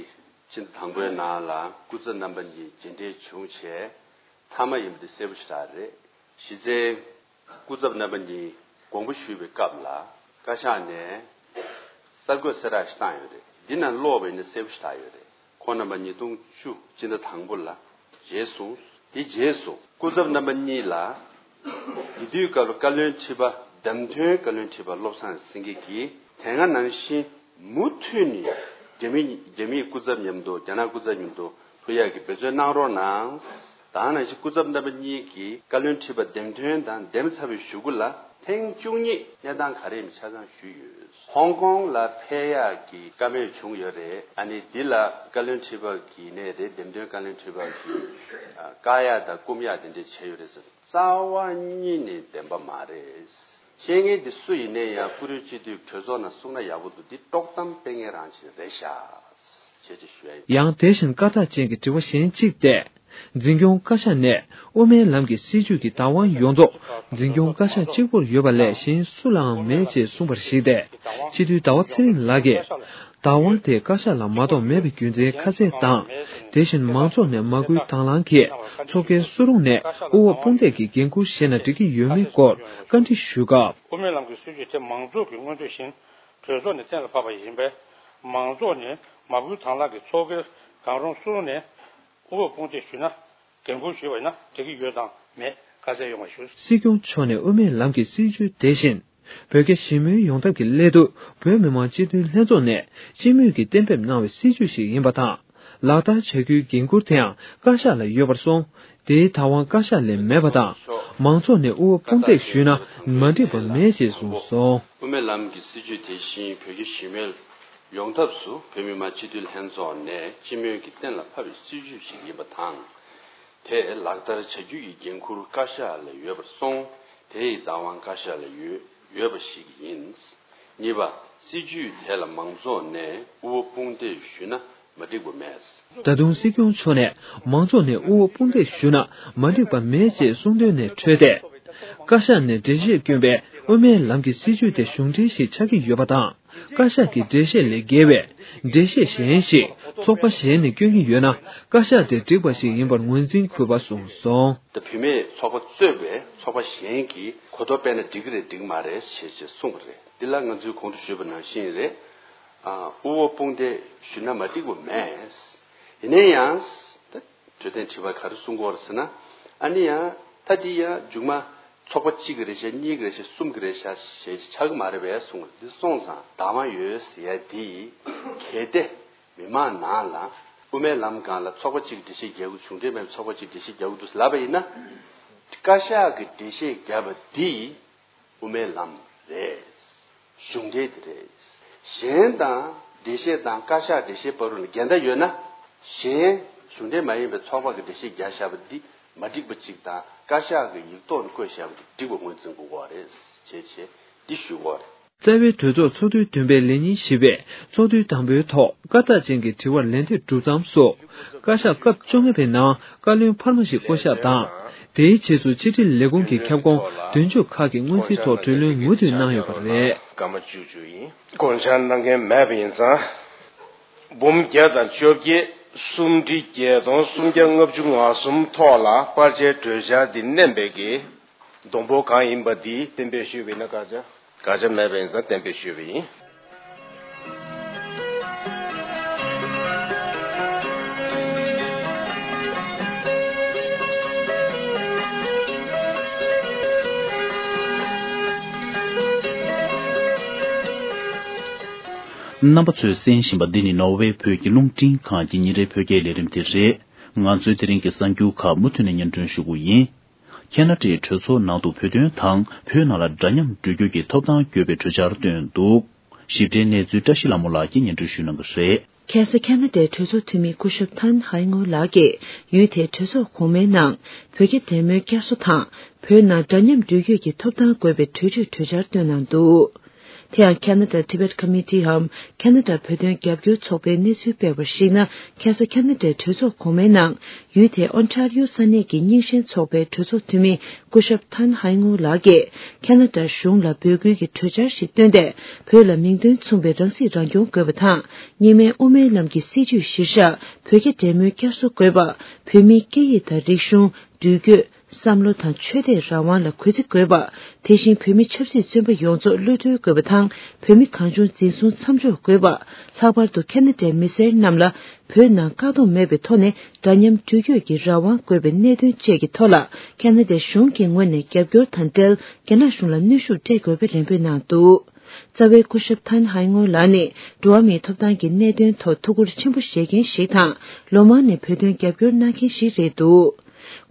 སྤྱི་ཟླ་དང་པོའི་ནང་ལ་སྐུ་ཚབ་རྣམ་པ་གཉིས་མཇལ་འཕྲད་བྱུང་བྱས་མཐའ་མ་ཡིན་པ་དེ་གསལ་པོ་ཞེ་དྲག་རེད། གཞི་རྩའི་སྐུ་ཚབ་རྣམ་པ་གཉིས་དགོངས་པ་ཞུས་པའི་སྐབས་ལ་བཀའ་ཤག་ནས་གསར་འགོད་གསལ་བསྒྲགས་ཤིག་བཏང་ཡོད་རེད། འདི་ནང་ཀློག་པ་ཡིན་ན་གསལ་པོ་ཞེ་དྲག་ཡོད་རེད། ཁོང་རྣམ་པ་ཉིས་སྟོང་བཅུ་སྤྱི་ཟླ་དང་པོ་ལ་མཇལ་སོང་། དེ་རྗེས་སུ་སྐུ་ཚབ་རྣམ་པ་གཉིས་ལ་དེ་དུས་སྐབས་ལ་བཀའ་བློན་ཁྲི་པ་བདམས་ཐོན་བཀའ་བློན་ཁྲི་པ་བློ་བཟང་སེང་གེ་གིས་དེ་སྔ་ནང་བཞིན་མུ་མཐུད་ནས་རྒྱ་མི་རྒྱ་མིའི་སྐུ་ཚབ་མཉམ་དུ་རྒྱ་ནག་སྐུ་ཚབ་མཉམ་དུ་ཐུག་ཡག་གི་འབད་བརྩོན་གནང་རོགས་གནང་། ད་ག་ནང་བཞིན་སྐུ་ཚབ་རྣམ་པ་གཉིས་ཀྱིས་བཀའ་བློན་ཁྲི་པ་འདེམས་ཐོན་དང་འདེམས་ཚར་བའི་གཞུག་གུ་ལ་ཐེངས་བཅུ་གཉིས་གནས་སྟངས་ག་རེ་ཡིན་ཆ་ཚང་ཞུས་ཡོད། ཧོང་ཀོང་ལ་ཕེབས་ཡག་གི་བཀའ་མོལ་བྱུང་ཡོད་རེད། ཨ་ནི་འདི་ལ་བཀའ་བློན་ཁྲི་པ་གི་ནས་རེད། འདེམས་ཐོན་བཀའ་བློན་ཁྲི་པ་གི་བཀག་ཡག་དང་སྐུམ་ཡག་དེ་འདྲས་བྱས་ཡོད་རེད་ཟེར། རྩ་བ་ཉིད་ནས་བདེན་པ་མ་རེད། བཤད་མཁན་འདི་སུ་ཡིན་ནའི་ཡང་བཀུར་འོས་སྤྱི་འཐུས་གྲོས་ཚོགས་ནང་གསུང་ན་ཡག་པོ་འདུག་འདི་དཀྲོག་གཏམ་སྤེལ་མཁན་རང་བཞིན་རེད་ཤག་ཅེས་ཅིག་ཞུ་ཡ་ཡིན། ཡང་དེ་བཞིན་སྐར་རྟགས་ཅན་གྱི་དྲི་བ་གཞན་གཅིག་སྟེ། འཛིན་སྐྱོང་བཀའ་ཤག་ནས་དབུ་མའི་ལམ་གྱི་སྲིད་བྱུས་ཀྱི་བདག་དབང་ཡོངས་རྫོགས་འཛིན་སྐྱོང་བཀའ་ཤག་གཅིག་པུར་ཡོད་པ་ལས་གཞན་སུ་ལའང་མེད་ཅེས་གསུངས་པར་གཞིགས་ཏེ། སྤྱི་འཐུས་ཟླ་བ་ཚེ་རིང་ལགས་ཀྱིས། བདག་དབང་དེ་བཀའ་ཤག་ལ་མ་གཏོགས་མེད་པའི་རྒྱུ་མཚན་ཁ་གསལ་དང་། དེ་བཞིན་མང་ཚོགས་ནས་མ་བསྐུལ་དང་བླངས་ཀྱིས་ཚོགས་སྒེར་སུ་རུང་ནས་དབུ་འོག་དཔུང་སྡེ་གི་འགན་འཁུར་བཞེས་ན་འགྲིག་གི་ཡོད་མེད་སྐོར་བཀའ་འདྲི་ཞུས་སྐབས། དབུ་མའི་ལམ་གྱི་སྲིད་བྱུས་དེ་མང་ཚོགས་ཀྱི་མངོན་འདོད་བཞིན་གྲོས་ཚོགས་ནས་གཏན་ལ་ཕབ་པ་ཡིན་པས། མང་ཚོགས་ནས་མ་བསྐུལ་དང་བླངས་ཀྱིས་ཚོགས་སྒེར་གང་རུང་སུ་རུང་ནས་དབུ་འོག་དཔུང་སྡེ་ཞུས་ན། འགན་འཁུར་ཞུས་པ་ཡིན་ན་འགྲིག་གི་ཡོད་དང་མེད་ཁ་གསལ་ཡོང་བ་ཞུ། སྲིད་སྐྱོང་མཆོག་ནས་དབུ་མའི་ལམ་གྱི་སྲིད་བྱུས་དེ་བཞིན། བོད་རྒྱ་ཞི་མོལ་ཡོང་ཐབས་ཀྱི་སླད་དུ་བོད་མི་མང་སྤྱི་འཐུས་ལྷན་ཚོགས་ནས་སྤྱི་མོས་ཀྱིས་གཏན་འབེབས་གནང་བའི་སྲིད་བྱུས་ཤིག་ཡིན་པ་དང་། ལག་བསྟར་བྱ་རྒྱུའི་འགན་འཁུར་དེའང་བཀའ་ཤག་ལ་ཡོད་པར་སོང་། དེའི་བདག་དབང་བཀའ་ཤག་ལས་མེད་པ་དང་། མང་ཚོགས་ནས་དབུ་འོག་དཔུང་སྡེ་ཞུས་ན་མ་འགྲིག་པ་མེད་ཅེས་གསུངས་སོང་། དབུ་མའི་ལམ་གྱི་སྲིད་བྱུས་དེ་བཞིན་བོད་རྒྱ་ཞི་མོལ་ཡོང་ཐབས་སུ་བོད་མི་མང་སྤྱི་འཐུས་ལྷན་ཚོགས་ནས་སྤྱི་མོས་ཀྱིས་གཏན་ལ་ཕབ་པའི་སྲིད་བྱུས་ཤིག་ཡིན་པ་དང་། དེ་ལག་བསྟར་བྱ་རྒྱུ་ཡི་འགན་འཁུར་བཀའ་ཤག་ལ་ཡོད་པར་སོང་། དེ་ཡི་བདག་དབང་བཀའ་ཤག་ལ་ཡོད་ཡོད་པ་ཞིག་ཡིན། གཉིས་པ། སྲིད་བྱུས་དེ་ལ་མང་ཚོགས་ནས་དབུ་འོག་དཔུང་སྡེ་ཞུས་ན་མ་འགྲིག་པ་མེད། ད་དུང་སྲིད་སྐྱོང་མཆོག་ནས་མང་ཚོགས་ནས་དབུ་འོག་དཔུང་སྡེ་ཞུས་ན་མ་འགྲིག་པ་མེད་ཅེས་གསུངས་དོན་ནས་འཕྲོས་ཏེ། བཀའ་ཤག་ནས་འགྲེལ་བཤད་བསྐྱོན་པའི་དབུ་མའི་ལམ་གྱི་སྲིད་བྱུས་དེ་གཞུང་འབྲེལ་ཞིག་ཆགས་ཀྱི་ཡོད་པ་དང་། བཀའ་ཤག་གི་འགྲེལ་བཤད་ལས་བརྒལ་བའི་འགྲེལ་བཤད་གཞན་ཞིག་ཚོགས་པ་གཞན་ནས་བསྐྱོན་གྱི་ཡོད་ན། བཀའ་ཤག་དེ་འགྲིག་པ་ཞིག་ཡིན་པར་ངོས་འཛིན་དགོས་པ་གསུངས་སོང་། ད་བུད་མེད་ཚོགས་པ་གཙོས་པའི་ཚོགས་པ་གཞན་གྱིས་གོ་རྟོགས་སྤེལ་ན་འགྲིག་གི་རེད་འགྲིག་མ་རེད་ཞེས་ཞེས་གསུངས་པ་རེད། འདི་ལ་ང་ཚོས་གོང་དུ་ཞུས་པ་ནང་བཞིན་རེད། ཨ། དབུ་འོག་དཔུང་སྡེ་ཞུས་ན་མ་འགྲིག་པ་མེད། ཡིན་ན་ཡང་། ད་འཕྲོད་བསྟེན་དྲི་བ་ག་རེ་གསུང་གི་ཡོད་རེད་ཟེར་ན། ཨ་ནི་ཡང་ད་འདི་ཡང་མཇུག་མ་ཚོགས་པ་གཅིག་གི་རེད་ཤག་གཉིས་ཀྱི་རེད་ཤག་གསུམ་གྱི་རེད་ཤག་ཞེས་ཆགས་ཀྱི་མ་རེད་པས་གསུངས། འདི་སོང་ཙང་བདག་དབང་ཡོད་ཟེར་ཡ་འདི་གལ་ཏེ་མི་མང་ནང་ལ་དབུ་མའི་ལམ་སྒང་ལ་ཚོགས་པ་གཅིག་འགྲེལ་བཤད་རྒྱག་གི་གཞུང་འབྲེལ་མེད་པའི་ཚོགས་པ་གཅིག་འགྲེལ་བཤད་རྒྱག་གི་འདུག་ལབ་པ་ཡིན་ན། བཀའ་ཤག་གིས་འགྲེལ་བཤད་བརྒྱབ་པ་འདི་དབུ་མའི་ལམ་རེད། གཞུང་འབྲེལ་དེ་རེད། གཞན་དང་འགྲེལ་བཤད་དང་བཀའ་ཤག་འགྲེལ་བཤད་བར་ལ་འགལ་ཟླ་ཡོད་ན། གཞན་གཞུང་འབྲེལ་མ་ཡིན་པའི་ཚོགས་པ་གི་འགྲེལ་བཤད་བརྒྱབ་བཞག་པ་འདི་མ་འགྲིག་པ་གཅིག་དང་ བཀའ་ཤག་གི་ཡིག་ཐོག་ནས་བཀོད་བཞག་པ་དེ་འགྲིག་པ་ངོས་འཛིན་དགོས་པ་རེད་ཅེས་བྱས་འདི་ཞུ་དགོས་པ་རེད། རྩ་བའི་གྲོས་ཚོགས་ཚོགས་དུས་བདུན་པའི་ལས་ཉིན་བཞི་པའི་ཚོགས་དུས་དང་པོའི་ཐོག་བཀའ་རྟགས་ཅན་གྱི་དྲི་བར་ལན་འདེབས་གྲུབ་མཚམས་སུ། བཀའ་ཤག་སྐབས་བཅོ་ལྔ་པའི་ནང་བཀའ་བློན་འཕར་མ་ཞིག་བསྐོ་གཞག་དང་། དེའི་རྗེས་སུ་ཕྱི་དྲིལ་ལས་ཁུངས་ཀྱི་ཁྱབ་ཁོངས་དོན་གཅོད་ཁག་གི་སྔོན་རྩིས་ཐོག་གྲོས་བློན་མུ་མཐུད་གནང་ཡོད་པ་རེད། སྐར་མ་བཅུ་བཅུ་ཡིན། དགོངས་འཆར་གནང་མཁན་མེད་པ་ཡིན་ཙང་། འབུམ་བརྒྱ་དང་བཅོ་བརྒྱད། གསུམ་ཁྲི་བརྒྱད་སྟོང་སུམ་བརྒྱ་ལྔ་བཅུ་ང་གསུམ་ཐོག་ལ་པར་ཆས་གྲོས་འཆར་འདི་མནན་པའི་གི་སྡོང་པོ་གང་ཡིན་པ་འདི་གཏན་འབེབས་ཞུས་པ་ཡིན་ན། དགག་བྱ། དགག་བྱ་མེད་པ་ཡིན་ཙང་གཏན་འབེབས་ཞུས་པ་ཡིན། རྣམ་པ་ཚོས་གསན་བཞིན་པ་འདི་ནི་ནོར་ཝེ་བོད་ཀྱི་རླུང་འཕྲིན་ཁང་གི་ཉིན་རེའི་བོད་སྐད་ལས་རིམ་དེ་རེད། ང་ཚོའི་དེ་རིང་གི་གསར་འགྱུར་ཁག་མུ་མཐུད་ནས་སྙན་སྒྲོན་ཞུ་གི་ཡིན། ཁེ་ན་ཌའི་གྲོས་ཚོགས་ནང་དུ་བོད་དོན་དང་བོད་ནང་ལ་འདྲ་མཉམ་འགྲོ་རྒྱུ་གྱི་ཐོབ་ཐང་དགོས་པའི་གྲོས་འཆར་བཏོན་འདུག། ཞིབ་ཕྲའི་གནས་ཚུལ་བཀྲ་ཤིས་ལྷ་མོ་ལགས་ཀྱིས་སྙན་སྒྲོན་ཞུ་གནང་གི་རེད། ཁ་སང་ཁེ་ན་ཌའི་གྲོས་ཚོགས་འཐུས་མི་སྐུ་ཞབས་ཐན་ཧའེ་ངོ་ལགས་ཀྱིས་ཡུལ་དེའི་གྲོས་ཚོགས་གོང་མའི་ནང་བོད་རྒྱ་འབྲེལ་མོལ་བསྐྱར་གསོ་དང་བོད་ནང་འདྲ་མཉམ་འགྲུལ་སྐྱོད་ཀྱི་ཐོབ་ཐང་དགོས་པའི་གྲོས་ཆོད་གྲོས་འཆར་བཏོན་གནང་འདུག། དེ་ཡང་Canada Tibet Committee འམ་ཁེ་ན་ཌ་བོད་དོན་རྒྱབ་སྐྱོར་ཚོགས་པའི་གནས་ཚུལ་སྤེལ་བར་གཞིགས་ན། ཁ་སང་ཁེ་ན་ཌའི་གྲོས་ཚོགས་གོང་མའི་ནང་ཡུལ་དེའི་ཨོན་ཊར་ཡོ་ས་གནས་ཀྱི་རྙིང་ཞེན་ཚོགས་པའི་གྲོས་ཚོགས་འཐུས་མི་སྐུ་ཞབས་ཐན་ཧའེ་ངུ་ལགས་ཀྱིས་ཁེ་ན་ཌ་གཞུང་ལ་འབོད་སྐུལ་གྱི་གྲོས་འཆར་ཞིག་བཏོན་ཏེ། བོད་ལ་མིང་དོན་མཚུངས་པའི་རང་སྲིད་རང་སྐྱོང་དགོས་པ་དང་། གཉིས་སྨན་དབུ་མའི་ལམ་གྱི་སྲིད་བྱུས་གཞིར་བཞག་བོད་རྒྱ་འབྲེལ་མོལ་བསྐྱར་གསོ་དགོས་པ། བོད་མིའི་སྐད་ཡིག་དང་རིག་གཞུང་། འགྲུལ་སྐྱོད། བསམ་བློ་དང་ཆོས་དད་རང་དབང་ལ་གུས་བརྩི་དགོས་པ། དེ་བཞིན་བོད་མི་ཆབ་སྲིད་བཙོན་པ་ཡོངས་རྫོགས་གློད་གྲོལ་དགོས་པ་དང་། བོད་མི་གང་བྱུང་འཛིན་བཟུང་མཚམས་འཇོག་དགོས་པ། ལྷག་པར་དུ་ཁེ་ན་ཌའི་མི་སེར་རྣམས་ལ་བོད་ནང་བཀག་སྡོམ་མེད་པའི་ཐོག་ནས་འདྲ་མཉམ་འགྲུལ་སྐྱོད་ཀྱི་རང་དབང་དགོས་པའི་གནད་དོན་བཅས་ཀྱི་ཐོག་ལ། ཁེ་ན་ཌའི་གཞུང་གི་ངོས་ནས་རྒྱབ་སྐྱོར་དང་འབྲེལ། རྒྱ་ནག་གཞུང་ལ་གནོན་ཤུགས་སྤྲད་དགོས་པའི་རེ་འབོད་གནང་འདུག། རྩ་བའི་སྐུ་ཞབས་ཐན་ཧའེ་ངོ་ལགས་ནི་འགྲོ་བ་མིའི་ཐོབ་ཐང་གི་གནད་དོན་ཐོག་ཐུགས་ཁུར་ཆེན་པོ་བཞེས་མཁན་ཞིག་དང་། ལོ་མང་ནས་བོད་དོན་རྒྱབ་སྐྱོར་གནང་མཁན་ཞིག་རེད་འདུག།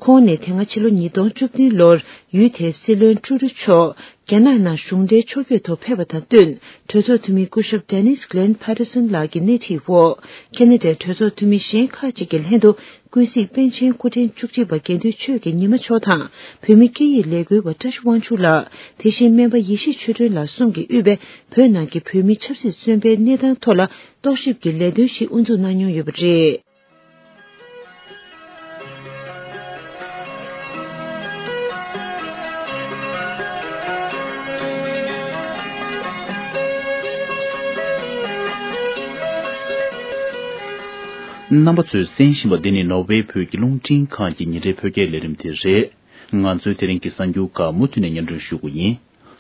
ཁོང་ནི་དེ་སྔ་ཕྱི་ལོ་ཉིས་སྟོང་བཅུ་བདུན་ལོར་ཡུལ་དེའི་སྲིད་བློན་ཀྲུ་རུ་མཆོག་རྒྱ་ནག་ནང་གཞུང་འབྲེལ་ཕྱོགས་བསྐྱོད་ཐོག་ཕེབས་པ་དང་བསྟུན། གྲོས་ཚོགས་འཐུས་མི་སྐུ་ཞབས་Dennis Glenn Patterson ལགས་ཀྱི་སྣེ་ཁྲིད་འོག་ཁེ་ན་ཌའི་གྲོས་ཚོགས་འཐུས་མི་གཞན་ཁག་ཅིག་གི་ལྷན་དུ། ཀུན་གཟིགས་པཎ་ཆེན་སྐུ་ཕྲེང་བཅུ་གཅིག་པ་དགེ་འདུན་ཆོས་ཀྱི་ཉི་མ་མཆོག་དང་། བོད་མི་སྐད་ཡིག་ལས་འགུལ་བ་བཀྲ་ཤིས་དབང་ཕྱུག་ལགས། དེ་བཞིན་སྨན་པ་ཡེ་ཤེས་ཆོས་སྒྲོན་ལགས་གསུམ་གྱིས་དབུས་པའི་བོད་ནང་གི་བོད་མི་ཆབ་སྲིད་བཙོན་པའི་གནས་སྟངས་ཐོག་ལ་རྟོག་ཞིབ་ཀྱི་ལས་དོན་ཞིག་དབུ་འཛུགས་གནང་མྱོང་ཡོད་པ་རེད། རྣམ་པ་ཚོས་གསན་བཞིན་པ་འདི་ནི་ནོར་ཝེ་བོད་ཀྱི་རླུང་འཕྲིན་ཁང་གི་ཉིན་རེའི་བོད་སྐད་ལས་རིམ་དེ་རེད། ང་ཚོའི་དེ་རིང་གི་གསར་འགྱུར་ཁག་མུ་མཐུད་ནས་སྙན་སྒྲོན་ཞུ་གི་ཡིན།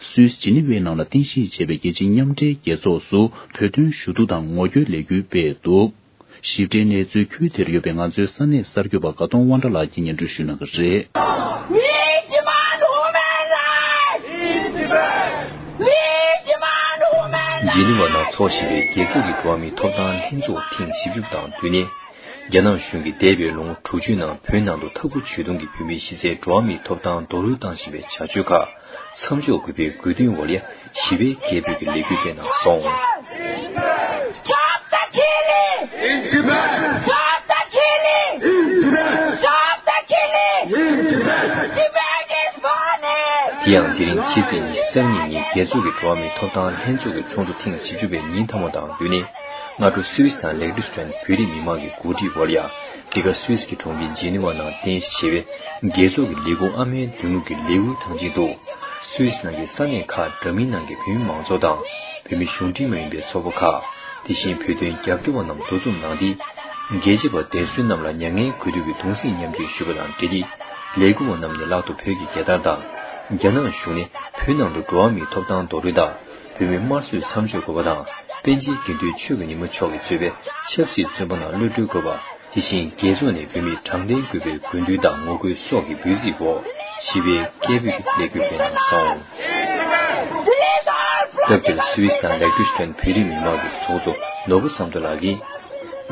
སུད་སི་ཇི་ནི་ཝའི་ནང་ལ་རྟེན་གཞི་བྱས་པའི་རྒྱལ་སྤྱིའི་མཉམ་འབྲེལ་རྒྱལ་ཚོགས་སུ་བོད་དོན་ཞུ་གཏུག་དང་ངོ་རྒོལ་ལས་འགུལ་སྤེལ་འདུག། ཞིབ་ཕྲའི་གནས་ཚུལ་ཁུལ་དེར་ཡོད་པའི་ང་ཚོའི་ས་གནས་གསར་འགོད་པ་དགའ་གདོང་དབང་གྲགས་ལགས་ཀྱིས་སྙན་སྒྲོན་ཞུ་གནང་གི་རེད། We demand human rights! In Tibet! We demand human rights! ཇི་ནི་ཝ་ནང་འཚོགས་བཞིན་པའི་རྒྱལ་ཁབ་ཀྱི་འགྲོ་བ་མིའི་ཐོབ་ཐང་ལྷན་ཚོགས་ཐེངས་བཞི་བཅུ་དང་བསྟུན་ནས། རྒྱ་ནག་གཞུང་གིས་འདས་པའི་ལོ་ངོ་དྲུག་ཅུའི་ནང་བོད་ནང་དུ་འཐབ་རྒོལ་ཇུས་གཏོང་གིས་བོད་མིའི་གཞི་རྩའི་འགྲོ་བ་མིའི་ཐོབ་ཐང་རྡོག་རོལ་བཏང་བཞིན་པའི་བྱ་སྤྱོད་ཁག་མཚམས་འཇོག་དགོས་པའི་དགོས་འདུན་འོག་ལ་ཞི་བའི་རྒྱལ་པོས་ཀྱི་ལས་འགུལ་སྤེལ་གནང་སོང་། Stop the killing! In Tibet! Stop the killing! In Tibet! Stop the killing! In Tibet! Tibet is burning! དེ་ཡང་དེ་རིང་ཕྱི་ཚེས་ཉི་ཤུ་རྩ་གཉིས་ཉིན་རྒྱལ་ཚོགས་ཀྱི་འགྲོ་བ་མིའི་ཐོབ་ཐང་ལྷན་ཚོགས་ཀྱི་ཚོགས་འདུ་ཐེངས་བཞི་བཅུ་པའི་ཉིན་མཐའ་མ་དང་བསྟུན་ནས། སྔ་དྲོ་སུད་སི་དང་ལེག་ཏུ་སི་ཊོན་བོད་རིགས་མི་མང་གི་གོ་སྒྲིག་འོག་ལ་ཡ། འདི་ག་སུད་སི་གི་གྲོང་ཁྱེར་ཇི་ནི་ཝ་ནང་རྟེན་གཞི་བྱས་པའི་རྒྱལ་ཚོགས་ཀྱི་ལས་ཁུངས་ཨ་མའི་མདུན་ལུགས་ཀྱི་ལེའུའི་ཐང་ཆེན་དུ། སུད་སི་ནང་གི་ས་གནས་ཁག་འདྲ་མིན་ནང་གི་བོད་མི་མང་ཚོགས་དང་། བོད་མི་གཞུང་འབྲེལ་མ་ཡིན་པའི་ཚོགས་པ་ཁག་དེ་བཞིན་བོད་དོན་རྒྱབ་སྐྱོར་བ་རྣམས་འདུ་འཛོམས་གནང་སྟེ། རྒྱལ་གཅེས་པ་བདེན་གསོད་རྣམས་ལ་མྱ་ངན་གུས་འདུད་ཀྱི་གདུང་སེམས་མཉམ་སྐྱེད་ཞུས་པ་དང་འབྲེལ་ཏེ། ལས་ཁུངས་པ་རྣམས་ནས་ལག་ཏུ་བོད་ཀྱི་རྒྱལ་དར་དང་། རྒྱ་ནག་གཞུང་ནས་བོད་ནང་དུ་འགྲོ་བ་མིའི་ཐོབ་ཐང་རྡོག་རོལ་དང་། བོད་མི་དམར་གསོད་མཚམས་འཇོག་དགོས་པ་དང་། པཎ་ཆེན་དགེ་འདུན་ཆོས་ཀྱི་ཉི་མ་མཆོག་གིས་གཙོས་པའི་ཆབ་སྲིད་བཙོན་པ་རྣམས་གློད་གྲོལ་དགོས་པ། དེ་བཞིན་རྒྱལ་ཚོགས་ནས་བོད་མིར་དྲང་བདེན་དགོས་པའི་དགོས་འདུན་དང་ངོ་རྒོལ་སོགས་ཀྱི་འབོད་ཚིག་འོག་ཞི་བའི་སྐད་འབོད་ཀྱི་ལས་འགུལ་སྤེལ་གནང་སོང་། སྐབས་དེར་སུད་སི་དང་ལེག་ཏུ་སི་ཊོན་བོད་རིགས་མི་མང་གི་ཚོགས་གཙོ་ནོར་བུ་བསམ་གྲུབ་ལགས་ཀྱིས།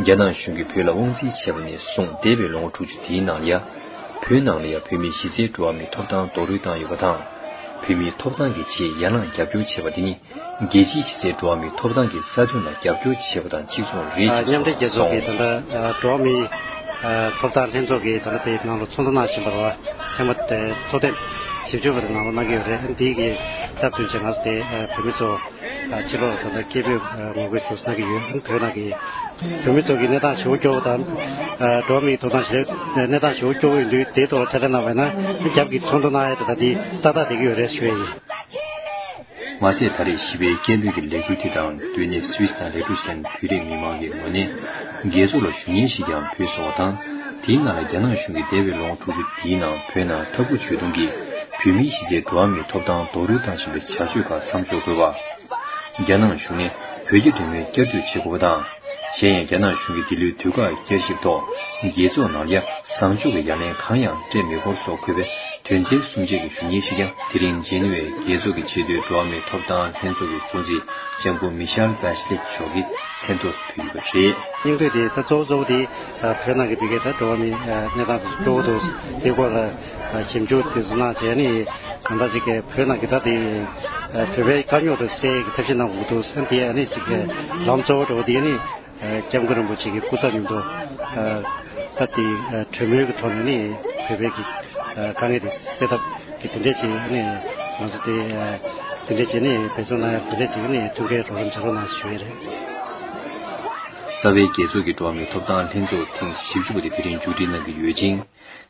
རྒྱ་ནག་གཞུང་གིས་བོད་ལ་དབང་འཛིན་བྱས་པ་ནས་བཟུང་འདས་པའི་ལོ་ངོ་དྲུག་ཅུ་དེའི་ནང་ལ་ཡ། བོད་ནང་ལ་ཡ་བོད་མིའི་གཞི་རྩའི་འགྲོ་བ་མིའི་ཐོབ་ཐང་རྡོག་རོལ་བཏང་ཡོད་པ་དང་། བོད་མིའི་ཐོབ་ཐང་གི་ཆེད་ཡར་ལངས་རྒྱབ་སྐྱོར་བྱས་པ་དེ་ནི། རྒྱལ་སྤྱིའི་གཞི་རྩའི་འགྲོ་བ་མིའི་ཐོབ་ཐང་གི་རྩ་དོན་ལ་རྒྱབ་སྐྱོར་བྱས་པ་དང་གཅིག་མཚུངས་རེད་ཅེས་མཉམ་འབྲེལ་རྒྱལ་ཚོགས་ཀྱིས་ད་ལྟ་འགྲོ་བ་མིའི་ ཐོབ་ཐང་ལྷན་ཚོགས་ཀྱིས་ད་ལྟ་དེའི་ནང་ལ་ཚོགས་འདུ་གནང་བཞིན་པ་རེད་བ། ཐེངས་མ་དེ་ཚོགས་ཐེངས་བཞི་བཅུ་པ་དེ་ནང་ལ་གནང་གི་ཡོད་རེད། འདི་གི་སྟབས་བསྟུན་བྱས་ང་ཚོ་དེ་བོད་མི་ཚོ་ཕྱི་ལོགས་ད་ལྟ་སྐད་འབོད་ངོ་རྒོལ་ཚོ་གནང་གི་ཡོད། བོད་ནང་གི་བོད་མི་ཚོ་གི་གནས་སྟངས་ཞེ་པོ་སྐྱོ་བོ་དང་། འགྲོ་བ་མིའི་ཐོབ་ཐང་ཞེ་གནས་སྟངས་ཞེ་པོ་སྐྱོ་བོ་ཡིན་དུས་དེའི་ཐོག་ལ་ཐད་ཀར་གནང་བ་ཡིན་ན་རྒྱབ་ཀྱི་ཚོགས་འདུ་གནང་ཡས་དེ་ད་འདི་ཏག་ཏག་བསྡད་ཀྱི་ཡོད་རེད་ཞུ་ཡས་ཡིན། མ་ཟད་ད་རེས་བཞི་པའི་སྐད་འབོད་ཀྱི་ལས་འགུལ་དེ་དང་སྡོད་གནས་སུད་སི་དང་ལེག་ཊོ་སི་ཊན་བོད་རིགས་མི་མང་གི་ངོས་ནས་རྒྱལ་ཚོགས་ལ་ཞུ་སྙན་ཞིག་ཀྱང་ཕུལ་སོང་བ་དང་། དེའི་ནང་ལ་རྒྱ་ནག་གཞུང་གིས་འདས་པའི་ལོ་ངོ་དྲུག་ཅུ་འདིའི་ནང་བོད་ནང་འཐབ་རྒོལ་བྱེད་གཏོང་གིས་བོད་མིའི་གཞི་རྩའི་འགྲོ་བ་མིའི་ཐོབ་ཐང་རྡོག་རོལ་བཏང་བཞིན་པའི་བྱ་སྤྱོད་ཁག་མཚམས་འཇོག་དགོས་པ། རྒྱ་ནག་གཞུང་ནས་བོད་རྒྱ་འབྲེལ་མོལ་བསྐྱར་ཟློས་བྱེད་དགོས་པ་དང་། གཞན་ཡང་རྒྱ་ནག་གཞུང་གིས་འདི་ལོའི་དུས་བཀག་བསྐྱར་ཞིབ་ཐོག་རྒྱལ་ཚོགས་ནང་ལ་ཡ་བཟང་ཕྱོགས་ཀྱི་ཡ་ལན་གང་ཡང་སྤྲད་མེད་སྐོར་སོགས་འཁོད་པའི་དོན་ཚན་སུམ་བརྒྱད་ཀྱི་ཞུ་སྙན་ཞིག་ཀྱང་དེ་རིང་ཇེ་ནི་ཝའི་རྒྱལ་ཚོགས་ཀྱི་ཆེས་མཐོའི་འགྲོ་བ་མིའི་ཐོབ་ཐང་ལྷན་ཚོགས་ཀྱི་གཙོ་འཛིན་ལྕམ་སྐུ་མི་ཤེལ་བྷེ་ཤི་ལེ་མཆོག་གིས་མཚན་ཐོག་ཏུ་ཕུལ་ཡོད་པ་རེད། སྙིང་བསྡུས་དེ་ད་གཙོ་བོ་གཙོ་བོ་དེ་བོད་ནང་གི་བི་གའི་ད་འགྲོ་བ་མིའི་གནས་སྟངས་དེ་གཙོ་བོ་དེ་དེ་སྐོར་ལ་ཞིབ་འཇུག་དེ་ཚོ་གནང་བྱས་ནས་གང་ལྟར་ཅིག་གི་བོད་ནང་གི་ད་དེ་བོད་པའི་དཀའ་རྙོག་དེ་སེལ་གྱི་ཐབས་ཤེས་གནང་དགོས་འདུག་ཟེར་དེ་ཨ་ནི་ཅིག་གི་ལམ་གཙོ་བོ་འགྲོ་བ་དེ་ནི། ཨ་སྐྱབས་མགོན་རིན་པོ་ཆེ་གི་སྐུ་ཚབ་མཉམ་དུ་ཨ་ད་ལྟའི་ཨ་གྲོས་མོལ་གྱི་ཐོག་ནས་ནི་བོད་པའི་གི་ཨ་དཀའ་ངལ་དེ་སེལ་ཐབས་ཀྱི་དེ་འདྲས་ཅིག་ནི་ང་ཚོ་དེ་ཨ་དེ་འདྲས་ཅིག་ནི་འབད་བརྩོན་གནང་ཡག་དེ་འདྲས་ཅིག་ནི་ཐུགས་ཁུར་རོགས་རམ་བྱ་རོགས་གནང་ཞུ་ཡས་རེད། རྩ་བའི་རྒྱལ་ཚོགས་ཀྱི་འགྲོ་བ་མིའི་ཐོབ་ཐང་ལྷན་ཚོགས་ཐེངས་བཞི་བཅུ་པ་དེ་དེ་རིང་མཇུག་སྒྲིལ་གནང་གི་ཡོད་ཅིང་།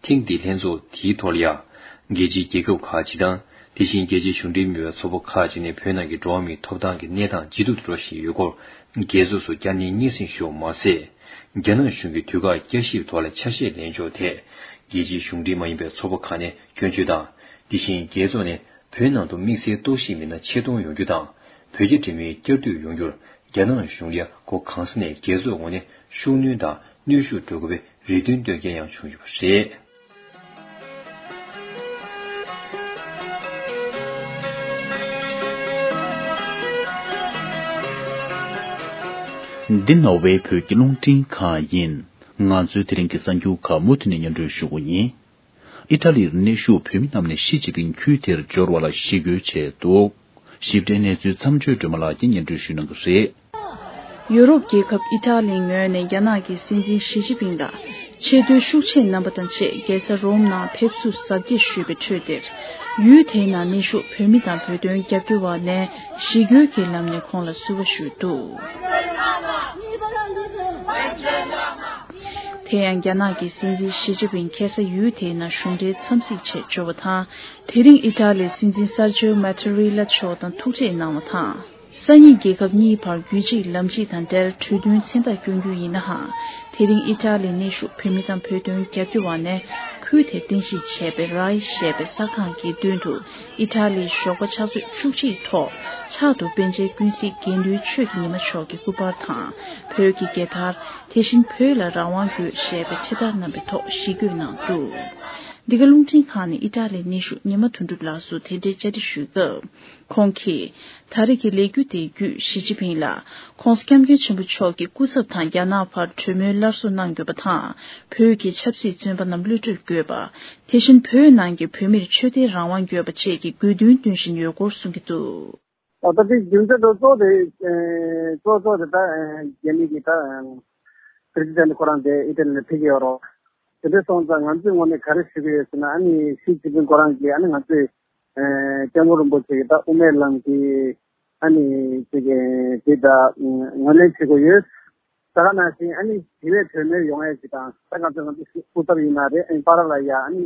ཐེངས་འདིའི་ལྷན་ཚོགས་དེའི་ཐོག་ལ་ཡང་། རྒྱལ་སྤྱིའི་རྒྱལ་ཁབ་ཁག་ཅིག་དང་། དེ་བཞིན་རྒྱལ་སྤྱིའི་གཞུང་འབྲེལ་མིན་པའི་ཚོགས་པ་ཁག་ཅིག་ནས་བོད་ནང་གི་འགྲོ་བ་མིའི་ཐོབ་ཐང་གི་གནས་སྟངས་ཇེ་སྡུག་ཏུ་འགྲོ་བཞིན་ཡོད་སྐོར། རྒྱལ་ཚོགས་སུ་བསྐྱར་ནན་སྙན་སེང་ཞུས་པ་མ་ཟད། རྒྱ་ནག་གཞུང་གིས་དུས་བཀག་བསྐྱར་ཞིབ་ཐོག་ལ་ཆ་ཤས་ལེན་ཕྱོགས་ཐད། རྒྱལ་སྤྱིའི་གཞུང་འབྲེལ་མ་ཡིན་པའི་ཚོགས་པ་ཁག་ནས་སྐྱོན་བརྗོད་དང་། དེ་བཞིན་རྒྱལ་ཚོགས་ནས་བོད་ནང་དུ་དམིགས་བསལ་རྟོག་ཞིབ་མི་སྣ་ཆེད་གཏོང་ཡོང་རྒྱུ་དང་། བོད་རྒྱ་འབྲེལ་མོལ་བསྐྱར་ཟློས་ཡོང་རྒྱུར། རྒྱ་ནག་གཞུང་ལ་སྒོ་གང་ས་ནས་རྒྱལ་ཚོགས་ངོས་ནས་ཤུགས་སྣོན་དང་གནོན་ཤུགས་སྤྲོད་དགོས་པའི་རེ་འདུན་བཏོན་མཁན་ཡང་བྱུང་ཡོད་པ་རེད། འདི་ནོར་ཝེ་བོད་ཀྱི་རླུང་འཕྲིན་ཁང་ཡིན། ང་ཚོའི་དེ་རིང་གི་གསར་འགྱུར་ཁག་མུ་མཐུད་ནས་སྙན་སྒྲོན་ཞུ་རྒྱུ་ཡིན། ཨི་ཊ་ལིར་གནས་བཞུགས་བོད་མི་རྣམས་ནས་ཞི་ཅིན་ཕིང་ཁུལ་དེར་འབྱོར་བ་ལ་ཞི་རྒོལ་བྱས་འདུག། ཞིབ་ཕྲའི་གནས་ཚུལ་མཚམས་གཅོད་སྒྲོལ་མ་ལགས་ཀྱིས་སྙན་སྒྲོན་ཞུ་གནང་གི་རེད། ཡུ་རོབ་རྒྱལ་ཁབ་ཨི་ཊ་ལིའི་ངོས་ནས་རྒྱ་ནག་གི་སྲིད་འཛིན་ཞི་ཅིན་ཕིང་ལ་ཆེས་མཐོའི་ཤུགས་ཆེན་རྣམ་པ་དང་བཅས་རྒྱལ་ས་རོམ་ནང་ཕེབས་བསུ་གཟབ་རྒྱས་ཞུས་པའི་ཁྲོད་དེར། ཡུལ་དེའི་ནང་གནས་བཞུགས་བོད་མི་དང་བོད་དོན་རྒྱབ་སྐྱོར་བ་ནས་ཞི་རྒོལ་གྱི་ལམ་ནས་ཁོང་ལ་བསུ་བ་ཞུས་འདུག། དེ་ཡང་རྒྱ་ནག་གི་སྲིད་འཛིན་ཞི་ཅིན་ཕིང་ཁ་སང་ཡུལ་དེའི་ནང་གཞུང་འབྲེལ་འཚམས་གཟིགས་ཆེད་འབྱོར་བ་དང་། དེ་རིང་ཨི་ཊ་ལིའི་སྲིད་འཛིན་གསར་འབྱོར་མ་ཏེ་རི་ལ་མཆོག་དང་ཐུག་འཕྲད་གནང་བ་དང་། སང་ཉིན་རྒྱལ་ཁབ་གཉིས་བར་རྒྱུད་གཅིག་ལམ་གཅིག་དང་འབྲེལ་གྲོས་མཐུན་མཚན་རྟགས་བསྐྱོན་རྒྱུ་ཡིན་ནའང་། དེ་རིང་ཨི་ཊ་ལིའི་གནས་བཞུགས་བོད་མི་དང་བོད་དོན་རྒྱབ་སྐྱོར་བ་ནས་ཁུལ་དེར་རྟེན་གཞི་བྱས་པའི་རའི་ཞེས་པའི་གསར་ཁང་གི་མདུན་དུ་ཨི་ཊ་ལིའི་ཞོགས་པ་ཕྱག་ཚོད་བཅུ་གཅིག་ཐོག་ཕྱག་ཏུ་པཎ་ཆེན་ཀུན་གཟིགས་དགེ་འདུན་ཆོས་ཀྱི་ཉི་མ་མཆོག་གི་སྐུ་པར་དང་བོད་ཀྱི་རྒྱལ་དར། དེ་བཞིན་བོད་ལ་རང་དབང་དགོས་ཞེས་པའི་འཕྲེད་དར་བསྣམས་པའི་ཐོག་ཞི་རྒོལ་གནང་འདུག། འདི་ག་རླུང་འཕྲིན་ཁང་ནས་ཨི་ཊ་ལིའི་གནས་བཞུགས་ཉི་མ་དོན་གྲུབ་ལགས་སུ་དེ་འབྲེལ་བཅར་འདྲི་ཞུས་སྐབས། ཁོང་གིས། ད་རེས་ཀྱི་ལས་འགུལ་དེའི་བརྒྱུད་ཞི་ཅིན་ཕིང་ལ། ྋགོང་ས་ྋསྐྱབས་མགོན་ཆེན་པོ་མཆོག་གིས་སྐུ་ཚབ་དང་རྒྱ་ནག་བར་གྲོས་མོལ་སླར་གསོ་གནང་དགོས་པ་དང་། བོད་ཀྱི་ཆབ་སྲིད་བཙོན་པ་རྣམས་གློད་གྲོལ་དགོས་པ། དེ་བཞིན་བོད་ནང་གི་བོད་མིར་ཆོས་དད་རང་དབང་དགོས་པ་བཅས་ཀྱི་དགོས་འདུན་འདོན་བཞིན་ཡོད་སྐོར་གསུང་གི་འདུག། ད་ལྟ་དེ་རྒྱུ་མཚན་དང་གཙོ་བོ་དེ་གཙོ་གཙོ་དེ་ད་རྒྱ་མི་གི་ད་པི་རེ་སི་ཌེན་ཊི་ཁོ་རང་དེ་ཨི་ཊ་ལི་ནས་ཕེབས་ཀྱི་ཡོད་རེད། དེ་འདྲ་སོང་ཙང་ང་ཚོའི་ངོས་ནས་ག་རེ་ཞུ་གི་ཡོད་ཟེར་ན། ཨ་ནི་ཞི་ཅིན་ཕིང་ཁོ་རང་གིས་ཨ་ནི་ང་ཚོའི་སྐྱབས་མགོན་རིན་པོ་ཆེ་གི་ད་དབུ་མའི་ལམ་གྱི་ཨ་ནི་ཅིག་གི་དེ་ད་ངོས་ལེན་བྱེད་དགོས་ཡོད། ད་ག་ནང་བཞིན་ཨ་ནི་ཞི་བའི་གྲོས་མོལ་ཡོང་ཡས་ཅིག་དང་། ད་ང་ཚོ་ང་ཚོ་སྐུ་ཚབ་ཡིན་ན་རེད། ཨ་ནི་བར་ལ་ཡ་ཨ་ནི་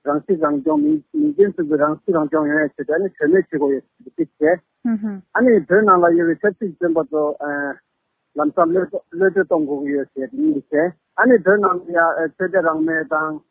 རང་སྲིད་རང་སྐྱོང་མི་མི་སྐྱོན་ཚུལ་གྱི་རང་སྲིད་རང་སྐྱོང་ཡོང་ཡས་ཆེད་དུ་ཨ་ནི་གྲོས་མོལ་བྱེད་དགོས་ཡོད་ཟེར་གྱི་བྱས། ཨ་ནི་བོད་ནང་ལ་ཡོད་པའི་ཆབ་སྲིད་བཙོན་པ་ཚོ་ལམ་སང་གློད་གློད་གྲོལ་གཏོང་དགོས་ཀྱི་ཡོད་ཟེར་གྱི་གཉིས་བྱས། ཨ་ནི་བོད་ནང་ལ་ཡ་ཆོས་དད་རང་མོས་དང་།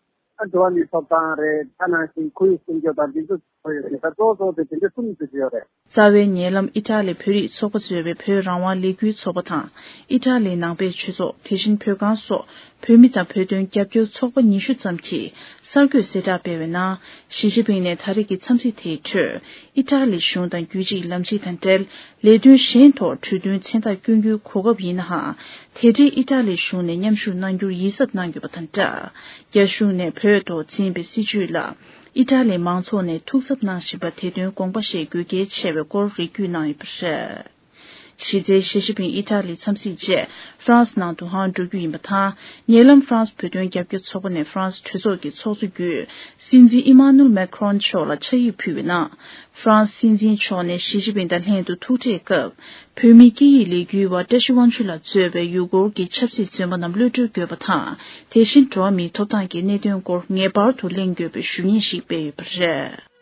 ཨ་འགྲོ་བ་མིའི་ཐོབ་ཐང་རེད། ད་ནང་བཞིན་ཁོར་ཡུག་སྲུང་སྐྱོབ་དང་དེ་ཚོ་གཙོ་ཡོད་རེད། ད་གཙོ་བོ་གཙོ་བོ་དེ་དེ་འདྲ་གསུམ་ཞིག་ཡོད་རེད། རྩ་བའི་ཉེ་ལམ་ཨི་ཊ་ལི་བོད་རིགས་ཚོགས་པ་གཙོས་པའི་བོད་རང་དབང་ལས་འགུལ་ཚོགས་པ་དང་། ཨི་ཊ་ལིའི་ནང་པའི་ཆོས་ཚོགས། དེ་བཞིན་བོད་ཁང་སོགས་བོད་མི་དང་བོད་དོན་རྒྱབ་སྐྱོར་ཚོགས་པ་ཉི་ཤུ་ཙམ་གྱིས་གསར་འགོད་གསལ་བསྒྲགས་སྤེལ་བའི་ནང་། ཞི་ཅིན་ཕིང་ནས་ད་རེས་ཀྱི་འཚམས་གཟིགས་དེའི་ཁྲོད། ཨི་ཊ་ལི་གཞུང་དང་རྒྱུད་གཅིག་ལམ་གཅིག་དང་འབྲེལ། ལས་དོན་གཞན་ཐོག་གྲོས་མཐུན་མཚན་རྟགས་བསྐྱོན་རྒྱུའི་གོ་སྐབས་ཡིན་ནའང་། དེ་འབྲེལ་ཨི་ཊ་ལིའི་གཞུང་ནས་མཉམ་ཞུགས་གནང་རྒྱུར་ཡིད་གཟབ་གནང་ཡོད་པ་དང་སྦྲགས། རྒྱ་གཞུང་ནས་བོད་ཐོག་འཛིན་པའི་སྲིད་བྱུས་ལ། ཨི་ཊ་ལིའི་མང་ཚོགས་ནས་ཐུགས་འཚབ་གནང་བཞིན་པ་དེ་དོན་དགོངས་པ་བཞེས་དགོས་གལ་ཆེ་བའི་སྐོར་རེ་སྐུལ་གནང་ཡོད་པ་རེད། གཞི་རྩའི་ཞི་ཅིན་ཕིང་ཨི་ཊ་ལི་འཚམས་གཟིགས་རྗེས་ཧྥ་རན་སི་ནང་དུ་ཧང་འགྲོ་རྒྱུ་ཡིན་པ་དང་། ཉེ་ལམ་ཧྥ་རན་སི་བོད་དོན་རྒྱབ་སྐྱོར་ཚོགས་པ་ནས་ཧྥ་རན་སི་གྲོས་ཚོགས་ཀྱི་ཚོགས་གཙོ་བརྒྱུད། སྲིད་འཛིན་ཨི་མ་ནུལ་མེ་ཁྲོན་མཆོག་ལ་ཕྱག་ཡིག་ཕུལ་བའི་ནང་། ཧྥ་རན་སི་སྲིད་འཛིན་མཆོག་ནས་ཞི་ཅིན་ཕིང་དང་ལྷན་དུ་ཐུག་འཕྲད་སྐབས། བོད་མིའི་སྐད་ཡིག་ལས་འགུལ་བ་བཀྲ་ཤིས་དབང་ཕྱུག་ལགས་གཙོས་པའི་ཡུ་གུར་གྱི་ཆབ་སྲིད་བཙོན་པ་རྣམས་གློད་བཀྲོལ་དགོས་པ་དང་། དེ་བཞིན་འགྲོ་བ་མིའི་ཐོབ་ཐང་གི་གནད་དོན་སྐོར་ངེས་པར་དུ་གླེང་དགོས་པའི་ཞུ་སྙན་ཞིག་སྤེལ་ཡོད་པ་རེད།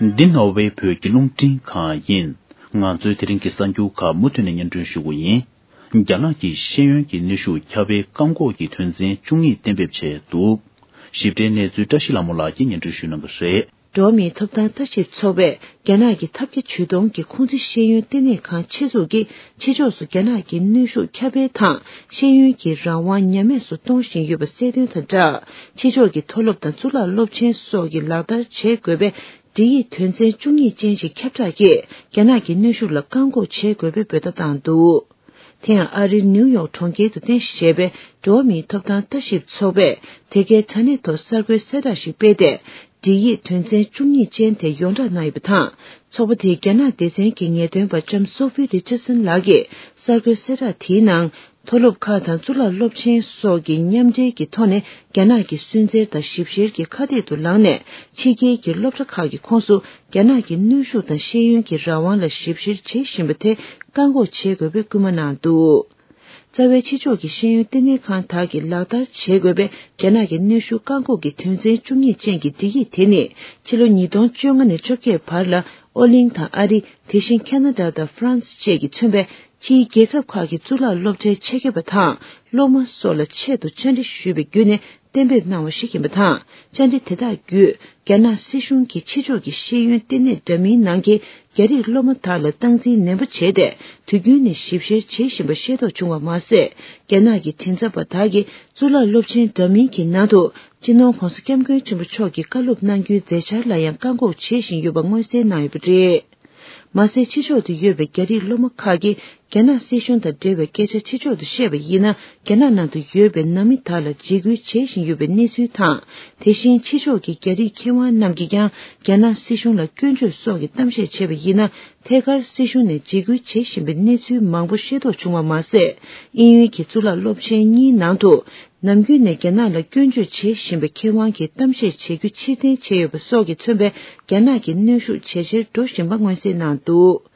འདི་ནོར་ཝེ་བོད་ཀྱི་རླུང་འཕྲིན་ཁང་ཡིན། ང་ཚོའི་དེ་རིང་གི་གསར་འགྱུར་ཁག་མུ་མཐུད་ནས་སྙན་སྒྲོན་ཞུ་གི་ཡིན། རྒྱ་ནག་གིས་ཤེས་ཡོན་གྱི་གནོན་ཤུགས་ཁྱབ་སྤེལ་བཀག་འགོག་གི་དོན་ཚན་བཅུ་གཉིས་གཏན་འབེབས་བྱས་འདུག། ཞིབ་ཕྲའི་གནས་ཚུལ་བཀྲ་ཤིས་ལྷ་མོ་ལགས་ཀྱིས་སྙན་སྒྲོན་ཞུ་གནང་གི་རེད། འགྲོ་བ་མིའི་ཐོབ་ཐང་ལྟ་ཞིབ་ཚོགས་པས་རྒྱ་ནག་གི་ཐབས་བརྒྱ་ཇུས་སྟོང་གིས་ཁུང་ཙི་ཤེས་ཡོན་ལྟེ་གནས་ཁང་ཆེད་འཛུགས་ཀྱིས་ཕྱི་ཕྱོགས་སུ་རྒྱ་ནག་གི་གནོན་ཤུགས་ཁྱབ་སྤེལ་དང་ཤེས་ཡོན་གྱི་རང་དབང་ཉམས་དམས་སུ་གཏོང་བཞིན་ཡོད་པ་གསལ་སྟོན་དང་སྦྲགས། ཕྱི་ཕྱོགས་ཀྱི་མཐོ་སློབ་དང་གཙུག་ལག་སློབ་ཆེན་སོགས་ཀྱིས་ལག་བསྟར་བྱེད་དགོས་པའི་སྒྲིག་ཡིག་དོན་ཚན་བཅུ་གཉིས་ཅན་ཞིག་ཁྱབ་བསྒྲགས་ཀྱིས་རྒྱ་ནག་གི་གནོན་ཤུགས་ལ་བཀག་འགོག་བྱེད་དགོས་པའི་འབོད་བརྡ་བཏང་འདུག། དེ་ཡང་ཨ་རིའི་ནིའུ་ཡོག་གྲོང་ཁྱེར་དུ་རྟེན་གཞི་བྱས་པའི་འགྲོ་བ་མིའི་ཐོབ་ཐང་ལྟ་ཞིབ་ཚོགས་པས་དེ་གའི་དྲ་གནས་ཐོག་གསར་འགོད་གསལ་བསྒྲགས་ཤིག་སྤེལ་ཏེ། སྒྲིག་ཡིག་དོན་ཚན་བཅུ་གཉིས་ཅན་དེ་ཡོངས་བསྒྲགས་གནང་ཡོད་པ་དང་། ཚོགས་པ་དེའི་རྒྱ་ནག་སྡེ་ཚན་གྱི་ངེས་སྟོན་པ་ལྕམ་སོ་ཧྥི་རི་ཅར་སན་ལགས་ཀྱིས་གསར་འགོད་གསལ་བསྒྲགས་དེའི་ནང་། མཐོ་སློབ་ཁག་དང་གཙུག་ལག་སློབ་ཆེན་སོགས་ཀྱི་མཉམ་འབྲེལ་གྱི་ཐོག་ནས་རྒྱ་ནག་གི་སུན་གཙེར་དང་ཞིབ་བཤེར་གྱི་ཁ་གཏད་དུ་ལངས་ནས། ཕྱི་རྒྱལ་གྱི་སློབ་གྲྭ་ཁག་གི་ཁོངས་སུ་རྒྱ་ནག་གི་གནོན་ཤུགས་དང་ཤེས་ཡོན་གྱི་རང་དབང་ལ་ཞིབ་བཤེར་བྱེད་བཞིན་པ་དེ་བཀག་འགོག་བྱེད་དགོས་པའི་སྐུལ་མ་གནང་འདུག། རྩ་བའི་ཕྱི་ཕྱོགས་ཀྱི་ཤེས་ཡོན་ལྟེ་གནས་ཁང་དག་གིས་ལག་བསྟར་བྱེད་དགོས་པའི་རྒྱ་ནག་གི་གནོན་ཤུགས་བཀག་འགོག་གི་དོན་ཚན་བཅུ་གཉིས་ཅན་གྱི་སྒྲིག་ཡིག་དེ་ནི་ཕྱི་ལོ་ཉིས་སྟོང་བཅོ་ལྔ་ནས་བཅོ་བརྒྱད་བར་ལ་ཨོ་གླིང་དང་ཨ་རི། དེ་བཞིན་ཁ་ན་ཌ་དང་ཧྥ་རན་སི་བཅས་ཀྱིས་མཚོན་པའི་ཕྱིའི་རྒྱལ་ཁབ་ཁག་གི་གཙུག་ལག་སློབ་གྲྭའི་ཆེད་མཁས་པ་དང་སློབ་མ་སོགས་ལ་ཆེད་དུ་བཅར་འདྲི་ཞུས་པའི་བརྒྱུད་ནས་གཏན་འབེབས་གནང་བ་ཞིག་ཡིན་པ་དང་། བཅར་འདྲི་དེ་དག་བརྒྱུད། རྒྱ་ནག་སྲིད་གཞུང་གིས་ཕྱི་ཕྱོགས་ཀྱི་ཤེས་ཡོན་ལྟེ་གནས་འདྲ་མིན་ནང་གི་རྒྱ་རིགས་སློབ་མ་དག་ལ་སྟངས་འཛིན་ནན་པོ་བྱས་ཏེ། དུས་རྒྱུན་ནས་ཞིབ་བཤེར་བྱེད་བཞིན་པ་ཤེས་རྟོགས་བྱུང་བ་མ་ཟད། རྒྱ་ནག་གི་མགྲིན་ཚབ་པ་དག་གིས་གཙུག་ལག་སློབ་ཆེན་འདྲ་མིན་གྱི་ནང་དུ། སྤྱི་ནོར་༧གོང་ས་༧སྐྱབས་མགོན་ཆེན་པོ་མཆོག་གིས་བཀའ་སློབ་གནང་རྒྱུའི་མཛད་འཆར་ལ་ཡང་བཀག་འགོག་བྱེད་བཞིན་ཡོད་པ་མངོན་གསལ་གནང་ཡོད་པ་རེད། མ་ཟད། ཕྱི་ཕྱོགས་དུ་ཡོད་པའི་རྒྱ་རིགས་སློབ་མ་ཁག་གིས་རྒྱ་ནག་སྲིད་གཞུང་དང་འབྲེལ་བའི་སྐད་ཆ་ཕྱི་ཕྱོགས་དུ་བཤད་པ་ཡིན་ན། རྒྱ་ནག་ནང་དུ་ཡོད་པའི་ནང་མི་དག་ལ་འཇིགས་སྐུལ་བྱེད་བཞིན་ཡོད་པའི་གནས་ཚུལ་དང་། དེ་བཞིན་ཕྱི་ཕྱོགས་ཀྱི་རྒྱ་རིགས་མཁས་དབང་རྣམས་ཀྱིས་ཀྱང་རྒྱ་ནག་སྲིད་གཞུང་ལ་སྐྱོན་བརྗོད་སོགས་ཀྱི་གཏམ་བཤད་བྱས་པ་ཡིན་ན། ཐད་ཀར་སྲིད་གཞུང་ནས་འཇིགས་སྐུལ་བྱེད་བཞིན་པའི་གནས་ཚུལ་མང་པོ་ཤེས་རྟོགས་བྱུང་བ་མ་ཟད། དབྱིན་ཡུལ་གྱི་གཙུག་ལག་སློབ་ཆེན་གཉིས་ནང་དུ། ནམ་རྒྱུན་ནས་རྒྱ་ནག་ལ་སྐྱོན་བརྗོད་བྱེད་བཞིན་པའི་མཁས་དབང་གིས་གཏམ་བཤད་བྱེད་རྒྱུ་ཕྱིར་འཐེན་བྱས་ཡོད་པ་སོགས་ཀྱིས་མཚོན་པའི་རྒྱ་ནག་གི་གནོན་ཤུགས་ཇེ་ཆེར་འགྲོ་བཞིན་པ་མངོན་གསལ་གནང་འདུག།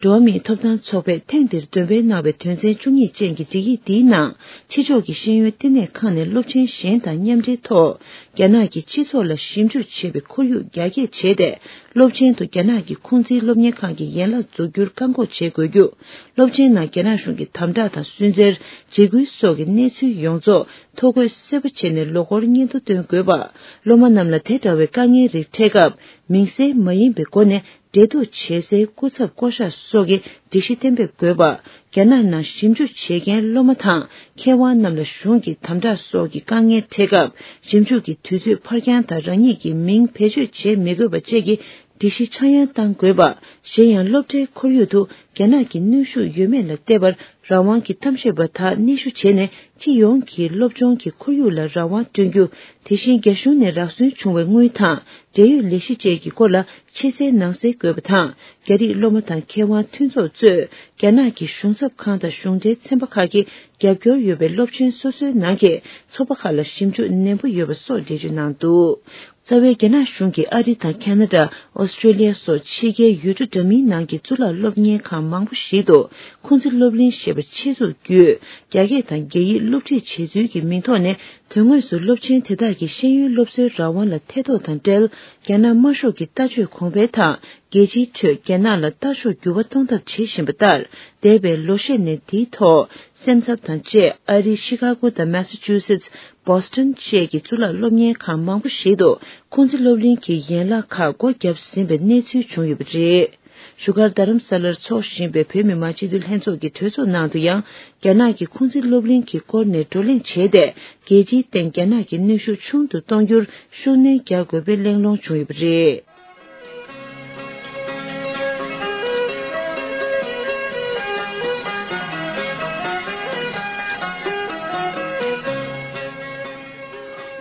འགྲོ་བ་མིའི་ཐོབ་ཐང་ཚོགས་པས་ཐེངས་འདིར་འདོན་སྤེལ་གནང་བའི་དོན་ཚན་བཅུ་གཉིས་ཅན་གྱི་སྒྲིག་ཡིག་འདིའི་ནང་། ཕྱི་ཕྱོགས་ཀྱི་ཤེས་ཡོན་ལྟེ་གནས་ཁང་ནས་སློབ་ཆེན་གཞན་དང་མཉམ་འབྲེལ་ཐོག་རྒྱ་ནག་གི་སྤྱི་ཚོགས་ལ་ཞིབ་འཇུག་བྱེད་པའི་ཁོར་ཡུག་རྒྱ་སྐྱེད་བྱས་ཏེ། སློབ་ཆེན་དུ་རྒྱ་ནག་གི་ཁུང་ཙི་སློབ་གཉེར་ཁང་གི་ཡན་ལག་འཛུགས་རྒྱུར་བཀག་འགོག་བྱེད་དགོས་རྒྱུ། སློབ་ཆེན་ནང་རྒྱ་ནག་གཞུང་གི་དམ་དྲག་དང་སུན་གཙེར། འཇིགས་སྐུལ་སོགས་ཀྱི་གནས་ཚུལ་ཡོངས་རྫོགས་ཐོ་འགོད་གསལ་པོ་བྱས་ནས་ལོ་འཁོར་སྙན་ཐོ་སྟོན་དགོས་པ། སློབ་མ་རྣམས་ལ་དེ་འདྲ་བའི་དཀའ་ངལ་རིགས་འཕྲད་སྐབས། མིང་གསལ་མ་ཡིན་པའི་སྒོ་ནས་འབྲེལ་གཏུག་བྱེད་སའི་སྐུ་ཚབ་བསྐོ་གཞག་སོགས་ཀྱི་སྒྲིག་གཞི་གཏན་འབེབས་དགོས་པ། རྒྱ་ནག་ནང་ཞིབ་འཇུག་བྱེད་མཁན་སློབ་མ་དང་མཁས་དབང་རྣམས་ལ་གཞུང་གི་དམ་དྲག་སོགས་ཀྱི་དཀའ་ངལ་འཕྲད་སྐབས། ཞིབ་འཇུག་གི་དུས་ཚོད་ཕར་འགྱངས་དང་རང་ཉིད་ཀྱི་མིང་བེད་སྤྱོད་བྱེད་མི་དགོས་པ་བཅས་ཀྱི་སྒྲིག་གཞི་ཆག་ཡང་གཏང་དགོས་པ། གཞན་ཡང་སློབ་གྲྭའི་ཁོར་ཡུག་ཏུ་རྒྱ་ནག་གི་གནོན་ཤུགས་ཡོད་མེད་ལ་བལྟས་པར། རང་དབང་གི་གཏམ་བཤད་པ་དག་སྣེ་ཞུ་བྱས་ནས། སྤྱི་ཡོངས་ཀྱི་སློབ་སྦྱོང་གི་ཁོར་ཡུག་ལ་རང་དབང་བསྐྲུན་རྒྱུ། དེ་བཞིན་རྒྱ་གཞུང་ནས་རག་སུན་བྱུང་བའི་དངུལ་དང་། འབྲེལ་ཡོད་ལས་གཞི་བཅས་ཀྱི་སྐོར་ལ་ཕྱི་གསལ་ནང་གསལ་དགོས་པ་དང་། རྒྱ་རིགས་སློབ་མ་དང་མཁས་དབང་མཐུན་ཚོགས་གཙོས། རྒྱ་ནག་གི་གཞུང་ཚབ་ཁང་དང་གཞུང་འབྲེལ་ཚན་པ་ཁག་གིས་རྒྱབ་སྐྱོར་ཡོད་པའི་སློབ་ཆེན་སོ་སོའི་ནང་གི་ཚོགས་པ་ཁག་ལ་ཞིབ་འཇུག་ནན་པོ་ཡོད་པ་སོགས་འགྲེལ་བརྗོད་གནང་འདུག། རྩ་བའི་རྒྱ་ནག་གཞུང་གིས་ཨ་རི་དང་ཁ་ན་ཌ། ཨོ་སི་ཀྲོ་ལི་ཡ་སོགས་ཕྱི་རྒྱལ་ཡུལ་གྲུ་འདྲ་མིན་ནང་གི་གཙུག་ལག་སློབ་གཉེར་ཁང་མང་པོ་ཞིག་ཏུ། ཁུང་ཙི་སློབ་གླིང་ཞེས་པ་ཆེད་འཛུགས་བརྒྱུད། རྒྱ་སྐད་དང་རྒྱ་ཡིག་སློབ་ཁྲིད་བྱེད་ཚུལ་གྱི་མིང་ཐོག་ནས། དོན་དངོས་སུ་སློབ་ཆེན་དེ་དག་གིས་ཤེས་ཡོན་སློབ་གསོའི་རང་དབང་ལ་ཐེ་གཏོགས་དང་འབྲེལ། རྒྱ་ནག་དམར་ཤོག་གི་ལྟ་སྤྱོད་གོང་འཕེལ་དང་། རྒྱལ་སྤྱིའི་ཁྲོད་རྒྱ་ནག་ལ་ལྟ་ཕྱོགས་འགྱུར་བ་གཏོང་ཐབས་བྱེད་བཞིན་པ་ལྟར། འདས་པའི་ལོ་ཤས་ནས་འདིའི་ཐོག་སེམས་འཚབ་དང་བཅས། ཨ་རིའི་ཤི་ཀ་གོ་དང་མེ་སི་ཆུ་སེ་ཊི། བོ་སི་ཊོན་བཅས་ཀྱི་གཙུག་ལག་སློབ་གཉེར་ཁང་མང་པོ་ཞིག་ཏུ། ཁུང་ཙི་སློབ་གླིང་གི་ཡན་ལག་ཁག་སྒོ་བརྒྱབ་ཟིན་པའི་གནས་ཚུལ་བྱུང་ཡོད་པ་རེད། བཞུགས་སྒར་རྡ་རམ་ས་ལར་འཚོགས་བཞིན་པའི་བོད་མི་མང་སྤྱི་འཐུས་ལྷན་ཚོགས་ཀྱི་གྲོས་ཚོགས་ནང་དུ་ཡང་། རྒྱ་ནག་གི་ཁུང་ཙི་སློབ་གླིང་གི་སྐོར་ནས་བགྲོ་གླེང་བྱས་ཏེ། རྒྱལ་སྤྱིའི་སྟེང་རྒྱ་ནག་གི་གནོན་ཤུགས་ཆུང་དུ་གཏོང་རྒྱུར་ཤུགས་སྣོན་རྒྱག་དགོས་པའི་གླེང་སློང་བྱུང་ཡོད་པ་རེད།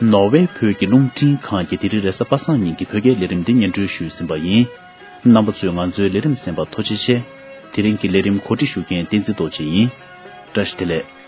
ནོར་ཝེ་བོད་ཀྱི་རླུང་འཕྲིན་ཁང་གིས་དེ་རིང་རེས་གཟའ་པ་སངས་ཉིན་གྱི་བོད་སྐད་ལས་རིམ་འདི་སྙན་སྒྲོན་ཞུས་ཟིན་པ་ཡིན། རྣམ་པ་ཚོས་ང་ཚོའི་ལས་རིམ་གསན་པར་ཐུགས་རྗེ་ཆེ། དེ་རིང་གི་ལས་རིམ་གོ་སྒྲིག་ཞུ་མཁན་བསྟན་འཛིན་རྡོ་རྗེ་ཡིན། བཀྲ་ཤིས་བདེ་ལེགས།